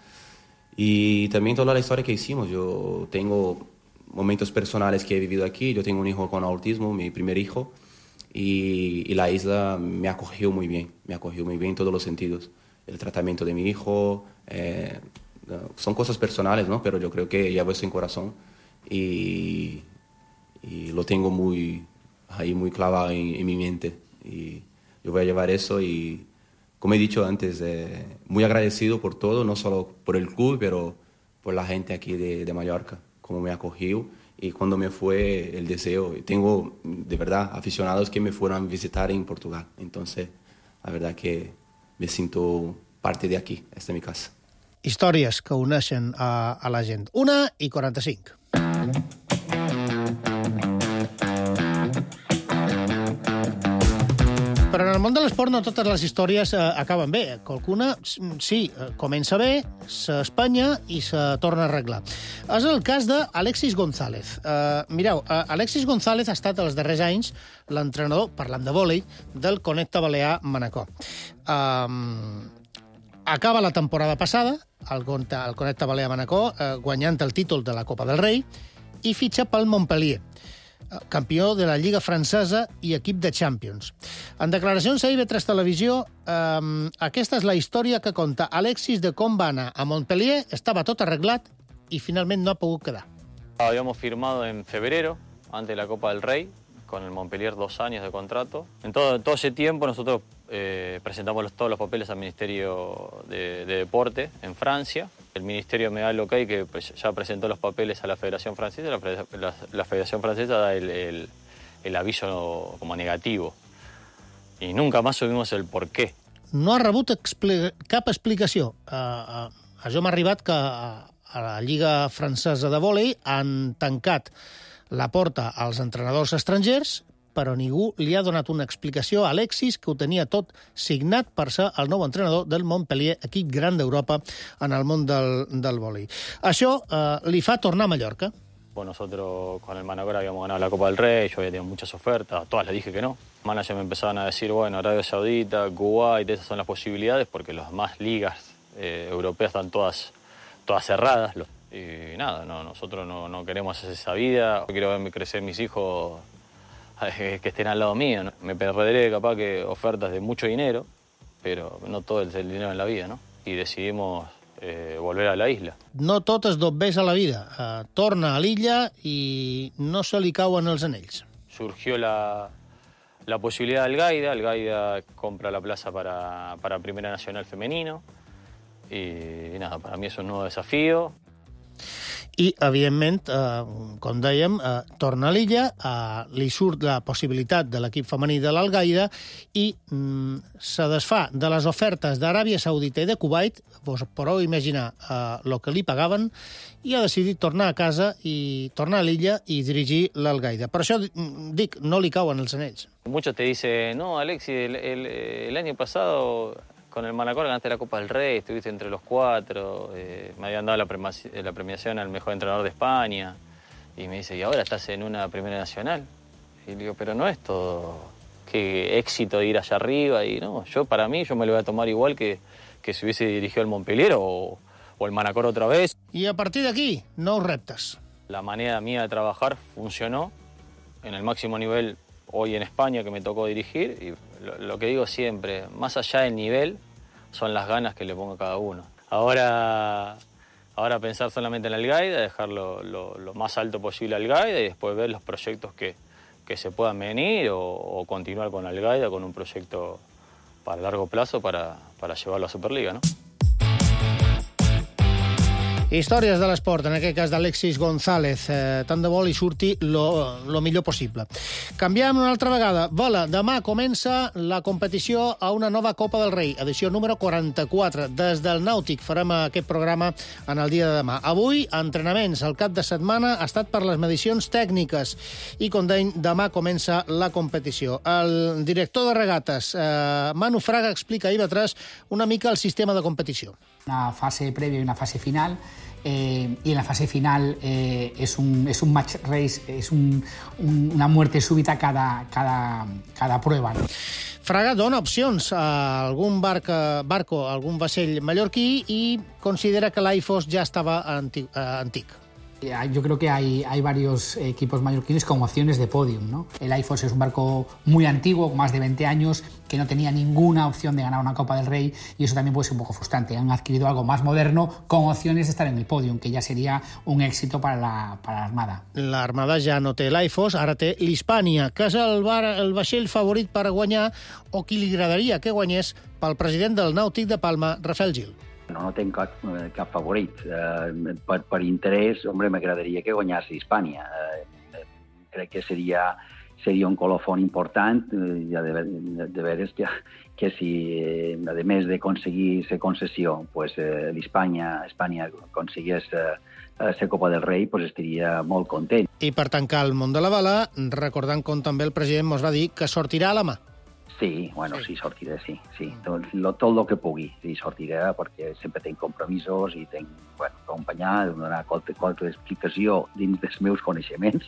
Y también toda la historia que hicimos. Yo tengo momentos personales que he vivido aquí. Yo tengo un hijo con autismo, mi primer hijo, y, y la isla me acogió muy bien, me acogió muy bien en todos los sentidos. El tratamiento de mi hijo, eh, son cosas personales, ¿no? Pero yo creo que llevo eso en corazón y, y lo tengo muy, ahí muy clavado en, en mi mente. Y yo voy a llevar eso y, como he dicho antes, eh, muy agradecido por todo, no solo por el club, pero por la gente aquí de, de Mallorca, cómo me acogió. Y cuando me fue el deseo, tengo de verdad aficionados que me fueron a visitar en Portugal. Entonces, la verdad que me siento parte de aquí, esta es mi casa. Històries que uneixen a, a la gent. Una i quaranta-cinc. Però en el món de l'esport no totes les històries eh, acaben bé. Qualcuna, sí, comença bé, s'espanya i se torna a arreglar. És el cas d'Alexis González. Uh, mireu, uh, Alexis González ha estat els darrers anys l'entrenador, parlant de vòlei, del Connecta Balear Manacor. Um, acaba la temporada passada, el, el Connecta Balear Manacor, eh, guanyant el títol de la Copa del Rei, i fitxa pel Montpellier, campió de la Lliga Francesa i equip de Champions. En declaracions a I B tres Televisió, eh, aquesta és la història que conta Alexis de com va anar a Montpellier, estava tot arreglat i finalment no ha pogut quedar. Habíamos firmado en febrero, antes de la Copa del Rey, con el Montpellier dos años de contrato. En todo, todo ese tiempo nosotros eh, presentamos los, todos los papeles al Ministerio de, de Deporte en Francia. El Ministerio me da el ok que pues, ya presentó los papeles a la Federación Francesa. La, la, la Federación Francesa da el, el, el aviso como negativo. Y nunca más supimos el por qué. No ha rebut expli cap explicació. Uh, uh, això m'ha arribat que uh, a la Lliga Francesa de Vòlei han tancat la porta als entrenadors estrangers, però ningú li ha donat una explicació a Alexis, que ho tenia tot signat per ser el nou entrenador del Montpellier, equip gran d'Europa en el món del, del vòlei. Això eh, li fa tornar a Mallorca. Bueno, nosotros con el Manacor habíamos ganado la Copa del Rey, yo había tenido muchas ofertas, a todas les dije que no. Los managers me empezaban a decir, bueno, Arabia Saudita, Kuwait, esas son las posibilidades, porque las más ligas eh, europeas están todas, todas cerradas. Y nada, no, nosotros no, no queremos hacer esa vida. Quiero verme crecer mis hijos que estén al lado mío, ¿no? Me perderé capaz que ofertas de mucho dinero, pero no todo es el dinero en la vida, ¿no? Y decidimos eh, volver a la isla. No tot es dobbés a la vida. Uh, torna a l'illa i no se li cauen els anells. Surgió la, la posibilidad del Gaida. El Gaida compra la plaza para, para Primera Nacional Femenino. Y, y nada, para mí es un nuevo desafío. I, evidentment, eh, com dèiem, eh, torna a l'illa, eh, li surt la possibilitat de l'equip femení de l'Al-Gaida i mm, se desfà de les ofertes d'Aràbia Saudita i de Kuwait, vos podeu imaginar el eh, que li pagaven, i ha decidit tornar a casa i tornar a l'illa i dirigir l'Al-Gaida. Per això, dic, no li cauen els anells. Muchos te dicen, no, Alexis, el, el, el año pasado con el Manacor ganaste la Copa del Rey, estuviste entre los cuatro, eh, me habían dado la, la premiación al mejor entrenador de España, y me dice, y ahora estás en una Primera Nacional. Y le digo, pero no es todo qué éxito de ir allá arriba, y no, yo para mí, yo me lo voy a tomar igual que, que si hubiese dirigido el Montpellier o, o el Manacor otra vez. Y a partir de aquí, nous reptes. La manera mía de trabajar funcionó en el máximo nivel hoy en España que me tocó dirigir, y lo, lo que digo siempre, más allá del nivel, son las ganas que le pongo a cada uno. Ahora, ahora pensar solamente en el Al-Gaida, dejarlo lo, lo más alto posible al Al-Gaida y después ver los proyectos que, que se puedan venir o, o continuar con Al-Gaida con un proyecto para largo plazo para, para llevarlo a Superliga, ¿no? Històries de l'esport, en aquest cas d'Alexis González. Eh, tant de bo li surti lo, lo millor possible. Canviem una altra vegada. Vola, demà comença la competició a una nova Copa del Rei, edició número quaranta-quatre. Des del Nàutic farem aquest programa en el dia de demà. Avui, entrenaments. El cap de setmana ha estat per les medicions tècniques i, com deim, demà comença la competició. El director de regates, eh, Manu Fraga, explica a I V tres una mica el sistema de competició. Una fase previa i una fase final. Eh, y en la fase final eh, es, un, es un match race, es un, un, una muerte súbita cada, cada, cada prueba, ¿no? Fraga dona opcions a algun barco, barco, a algun vaixell mallorquí i considera que l'Aifos ja estava antic. antic. Yo creo que hay, hay varios equipos mallorquines con opciones de podium, ¿no? El Aifos es un barco muy antiguo, con más de veinte años, que no tenía ninguna opción de ganar una Copa del Rey, y eso también puede ser un poco frustrante. Han adquirido algo más moderno con opciones de estar en el podium, que ya sería un éxito para la, para la Armada. La Armada ja no té l'Aifos, ara té l'Hispània, que és el, bar, el vaixell favorit per guanyar, o qui li agradaria que guanyés, pel president del Nàutic de Palma, Rafael Gil. No, no tenc cap, cap favorit. Eh, per, per interès, hombre, m'agradaria que guanyés Hispània. Eh, crec que seria, seria un colofón important, eh, ja de, de, de veres que, que si, eh, a més d'aconseguir la concessió, pues, eh, l'Hispània Espanya aconseguís eh, la Copa del Rei, pues, estaria molt content. I per tancar el món de la bala, recordant com també el president mos va dir que sortirà a la mà. Sí, bueno, sí, sortiré, sí, sí. Tot, lo, tot el que pugui, sí, sortiré, perquè sempre tenc compromisos i tenc, bueno, acompanyar, donar qualsevol, qualsevol explicació dins dels meus coneixements,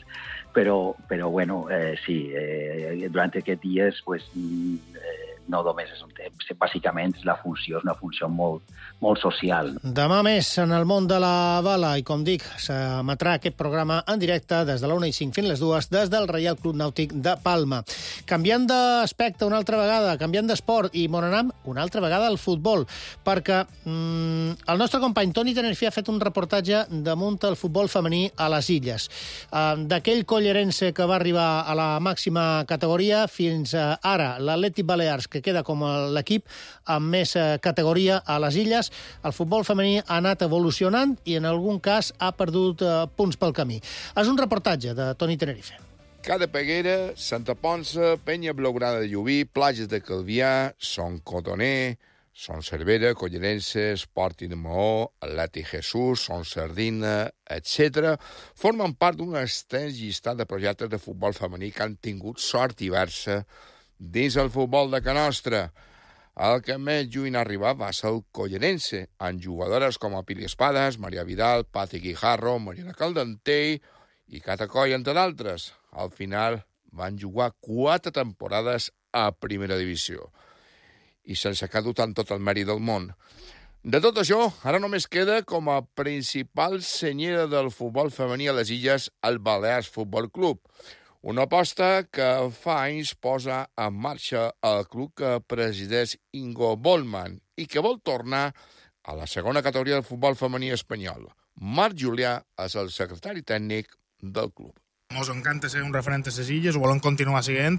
però, però bueno, eh, sí, eh, durant aquests dies, pues, eh, no només és un temps, bàsicament la funció és una funció molt, molt social. Demà més en el món de la bala i, com dic, s'emetrà aquest programa en directe des de la una i cinc fins les dues des del Reial Club Nàutic de Palma. Canviant d'aspecte una altra vegada, canviant d'esport i Monanam una altra vegada al futbol, perquè mm, el nostre company Toni Tenerife ha fet un reportatge damunt el futbol femení a les Illes. Uh, D'aquell collerense que va arribar a la màxima categoria fins uh, ara, l'Atlètic Balears, que queda com l'equip amb més categoria a les Illes, el futbol femení ha anat evolucionant i en algun cas ha perdut eh, punts pel camí. És un reportatge de Toni Tenerife. Cada Peguera, Santa Ponça, Penya Blaugrana de Llubí, Platges de Calvià, Son Cotoner, Son Cervera, Collerense, Sporting de Maó, Atlètic Jesús, Son Sardina, etcètera, formen part d'un extens llistat de projectes de futbol femení que han tingut sort diversa dins el futbol de Can Nostra. El que més lluny arribar va ser el Collerense, amb jugadores com a Pili Espadas, Maria Vidal, Pati Guijarro, Mariana Caldentell i Cata Coll, entre d'altres. Al final van jugar quatre temporades a primera divisió i sense que ha dut amb tot el mèrit del món. De tot això, ara només queda com a principal senyera del futbol femení a les Illes el Balears Futbol Club. Una aposta que fa anys posa en marxa el club que presideix Ingo Bollmann i que vol tornar a la segona categoria del futbol femení espanyol. Marc Julià és el secretari tècnic del club. Ens encanta ser un referent a les Illes, ho volem continuar sent,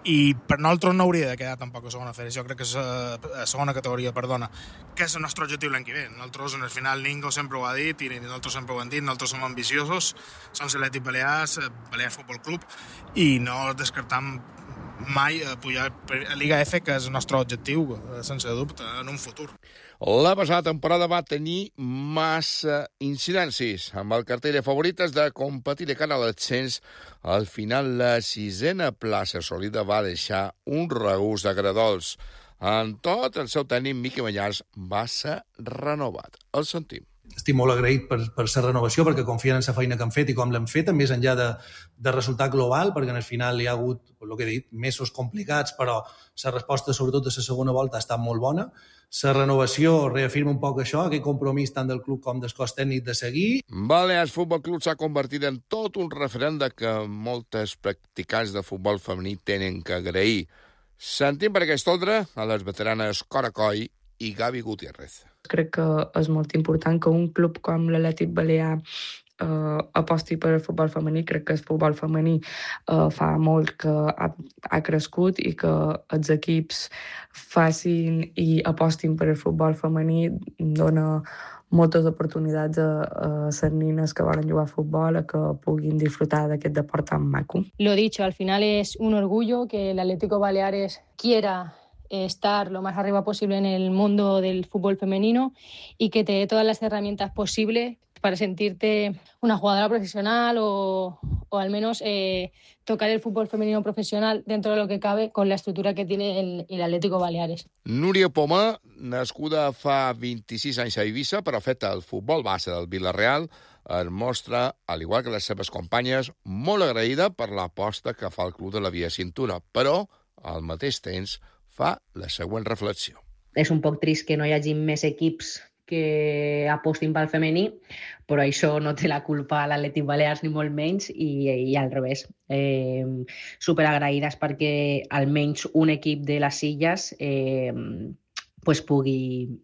i per nosaltres no hauria de quedar tampoc a segona federació, crec que és a segona categoria, perdona, que és el nostre objectiu l'any que ve. Nosaltres, en el final, Ningo sempre ho ha dit, i nosaltres sempre ho hem dit, nosaltres som ambiciosos, som l'Atlètic Balears, Balears Futbol Club, i no descartam mai pujar a Liga F, que és el nostre objectiu, sense dubte, en un futur. La passada temporada va tenir massa incidències. Amb el cartell de favorites de competir de cara a l'ascens, al final la sisena plaça assolida va deixar un regust agradols. En tot, el seu tècnic, Miqui Mallars, va ser renovat. El sentim. Estic molt agraït per, per la renovació, perquè confien en la feina que han fet i com l'hem fet, més enllà de, de resultat global, perquè en el final hi ha hagut, el que he dit, mesos complicats, però la resposta, sobretot de la segona volta, ha estat molt bona. La renovació reafirma un poc això, aquest compromís tant del club com del cos tècnic de seguir. Balears Futbol Club s'ha convertit en tot un referent de que moltes practicants de futbol femení tenen que agrair. Sentim per aquesta ordre a les veteranes Cora Coll i Gavi Gutiérrez. Crec que és molt important que un club com l'Atlètic Balear eh, aposti per el futbol femení. Crec que el futbol femení eh, fa molt que ha, ha crescut i que els equips facin i apostin per el futbol femení dona moltes oportunitats a, a les nines que volen jugar a futbol a que puguin disfrutar d'aquest deport tan maco. Lo dicho, al final es un orgullo que el Atlético Baleares quiera estar lo más arriba posible en el mundo del fútbol femenino y que te dé todas las herramientas posibles para sentirte una jugadora profesional o, o al menos eh, tocar el fútbol femenino profesional dentro de lo que cabe con la estructura que tiene el, el Atlético Baleares. Núria Pomar, nascuda fa vint-i-sis anys a Eivissa, però feta al futbol base del Villarreal, es mostra, al igual que les seves companyes, molt agraïda per l'aposta que fa el club de la Via Cintura, però, al mateix temps, fa la següent reflexió. És un poc trist que no hi hagi més equips que apostin pel femení, però això no té la culpa a l'Atlètic Balears ni molt menys, i, i al revés. Eh, superagraïdes perquè almenys un equip de les Illes eh, pues pugui,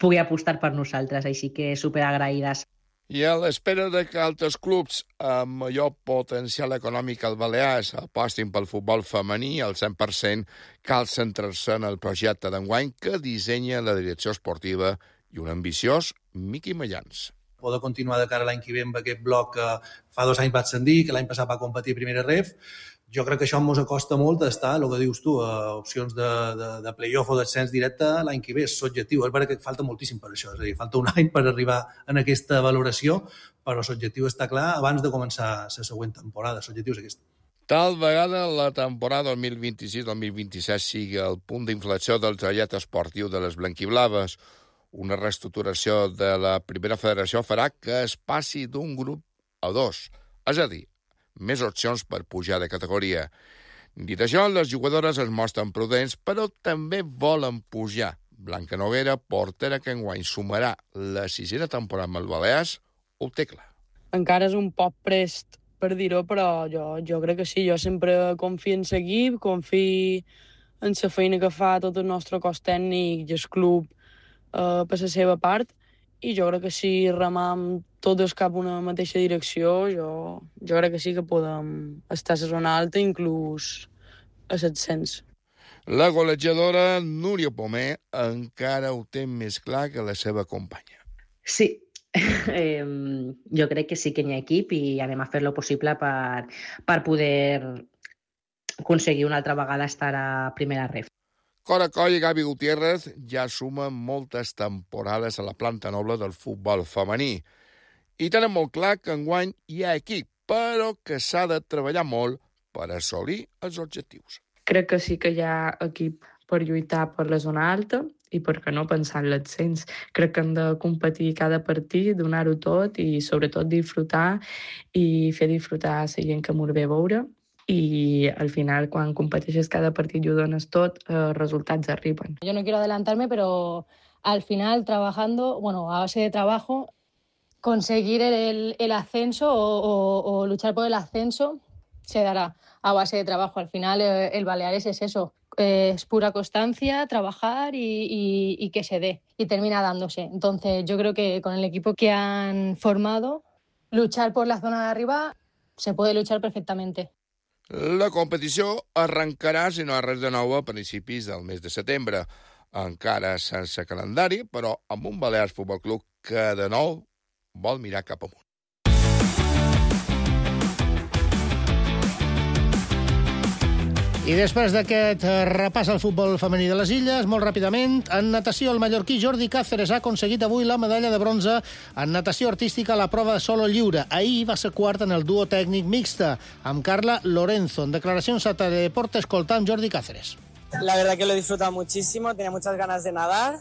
pugui apostar per nosaltres, així que superagraïdes. I a l'espera de que altres clubs amb major potencial econòmic al Balears apostin pel futbol femení al cent per cent, cal centrar-se en el projecte d'enguany que dissenya la direcció esportiva i un ambiciós Miqui Mayans. Poder continuar de cara a l'any que ve amb aquest bloc que fa dos anys va ascendir, que l'any passat va competir a primera ref. Jo crec que això ens acosta molt a estar, el que dius tu, a opcions de, de, de play-off o d'ascens directe l'any que ve. És l'objectiu. És veritat que falta moltíssim per això. És a dir, falta un any per arribar en aquesta valoració, però l'objectiu està clar abans de començar la següent temporada. L'objectiu és aquest. Tal vegada la temporada dos mil vint-i-sis dos mil vint-i-set sigui el punt d'inflexió del trajecte esportiu de les blanquiblaves. Una reestructuració de la primera federació farà que es passi d'un grup a dos, és a dir, més opcions per pujar de categoria. Dit això, les jugadores es mostren prudents, però també volen pujar. Blanca Noguera, portera que enguany sumarà la sisena temporada amb el Balears, ho té clar. Encara és un poc prest per dir-ho, però jo, jo crec que sí. Jo sempre confio en l'equip, confio en la feina que fa tot el nostre cos tècnic i el club Uh, per la seva part, i jo crec que si remam tots cap una mateixa direcció, jo, jo crec que sí que podem estar a la zona alta, inclús a set-cents. La golejadora Núria Pomer encara ho té més clar que la seva companya. Sí, eh, jo crec que sí que hi ha equip i anem a fer lo possible per, per poder aconseguir una altra vegada estar a primera ref. Cora Coll i Gavi Gutiérrez ja sumen moltes temporades a la planta noble del futbol femení. I tenen molt clar que enguany hi ha equip, però que s'ha de treballar molt per assolir els objectius. Crec que sí que hi ha equip per lluitar per la zona alta i per què no pensar en l'ascens. Crec que hem de competir cada partit, donar-ho tot i sobretot disfrutar i fer disfrutar la gent que m'ho ve a veure. Y al final, quan competeixes cada partit i ho dones tot, els resultats arriben. Yo no quiero adelantarme, pero al final, trabajando, bueno, a base de trabajo, conseguir el, el ascenso o, o, o luchar por el ascenso se dará a base de trabajo. Al final, el, el Baleares es eso, es pura constancia, trabajar y, y, y que se dé, y termina dándose. Entonces, yo creo que con el equipo que han formado, luchar por la zona de arriba se puede luchar perfectamente. La competició arrencarà, si no hi ha res de nou, a principis del mes de setembre. Encara sense calendari, però amb un Balears Futbol Club que, de nou, vol mirar cap amunt. I després d'aquest repàs al futbol femení de les Illes, molt ràpidament, en natació el mallorquí Jordi Cáceres ha aconseguit avui la medalla de bronze en natació artística a la prova de solo lliure. Ahir va ser quart en el duo tècnic mixta, amb Carla Lorenzo. En declaracions a Teledeporte, escoltam Jordi Cáceres. La verdad que lo he disfrutado muchísimo, tenía muchas ganas de nadar.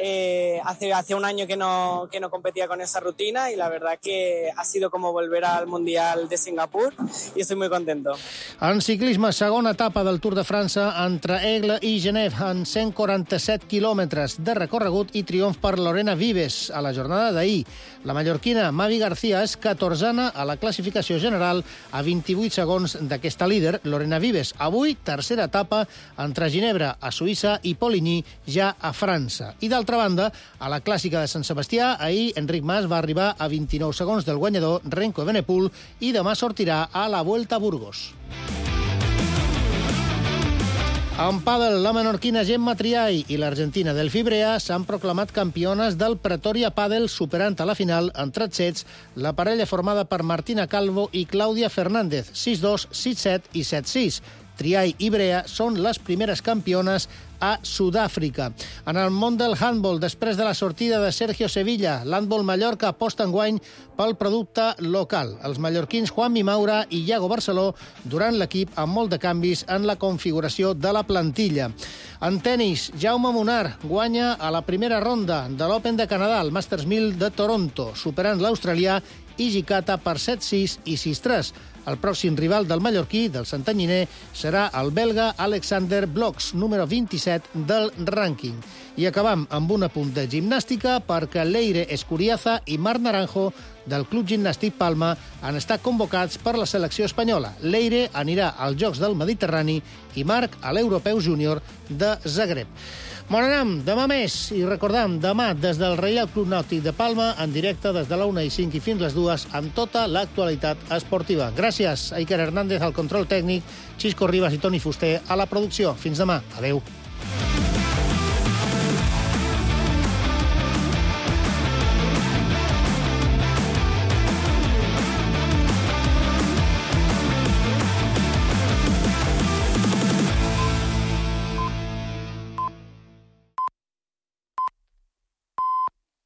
Eh, hace, hace un año que no, que no competía con esa rutina y la verdad que ha sido como volver al Mundial de Singapur y estoy muy contento. En ciclisme, segona etapa del Tour de França entre Aigle i Genève en cent quaranta-set quilòmetres de recorregut i triomf per Lorena Vives a la jornada d'ahir. La mallorquina Mavi García és catorzena a la classificació general a vint-i-vuit segons d'aquesta líder, Lorena Vives. Avui, tercera etapa entre Ginebra a Suïssa i Poligny ja a França. I d'altra banda, a la clàssica de Sant Sebastià, ahir Enric Mas va arribar a vint-i-nou segons del guanyador Renko Evenepoel i demà sortirà a la Vuelta a Burgos. En pàdel, la menorquina Gemma Triay i l'argentina Delphi Brea s'han proclamat campiones del Pretoria Pàdel, superant a la final en tres sets la parella formada per Martina Calvo i Clàudia Fernández, sis dos, sis set i set sis. Triay i Brea són les primeres campiones a Sud-àfrica. En el món del handball, després de la sortida de Sergio Sevilla, l'handball Mallorca aposta enguany pel producte local. Els mallorquins Juanmi Maura i Iago Barceló durant l'equip amb molt de canvis en la configuració de la plantilla. En tenis, Jaume Munar guanya a la primera ronda de l'Open de Canadà, el Masters mil de Toronto, superant l'australià Hijikata per set sis i sis tres. El pròxim rival del mallorquí, del santanyiner, serà el belga Alexander Bloks, número vint-i-set del rànquing. I acabam amb un apunt de gimnàstica perquè Leire Escuriaza i Marc Naranjo del Club Gimnàstic Palma han estat convocats per la selecció espanyola. Leire anirà als Jocs del Mediterrani i Marc a l'Europeu Júnior de Zagreb. Bon anam, demà més, i recordam, demà des del Reial Club Nàutic de Palma, en directe des de la una i cinc i fins les dues, amb tota l'actualitat esportiva. Gràcies a Iker Hernández al control tècnic, Xisco Ribas i Toni Fuster a la producció. Fins demà. Adéu.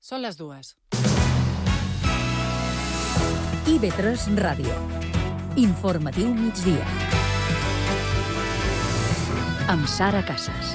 Són les dues. I B tres Ràdio. Informatiu migdia. Amb Sara Casas.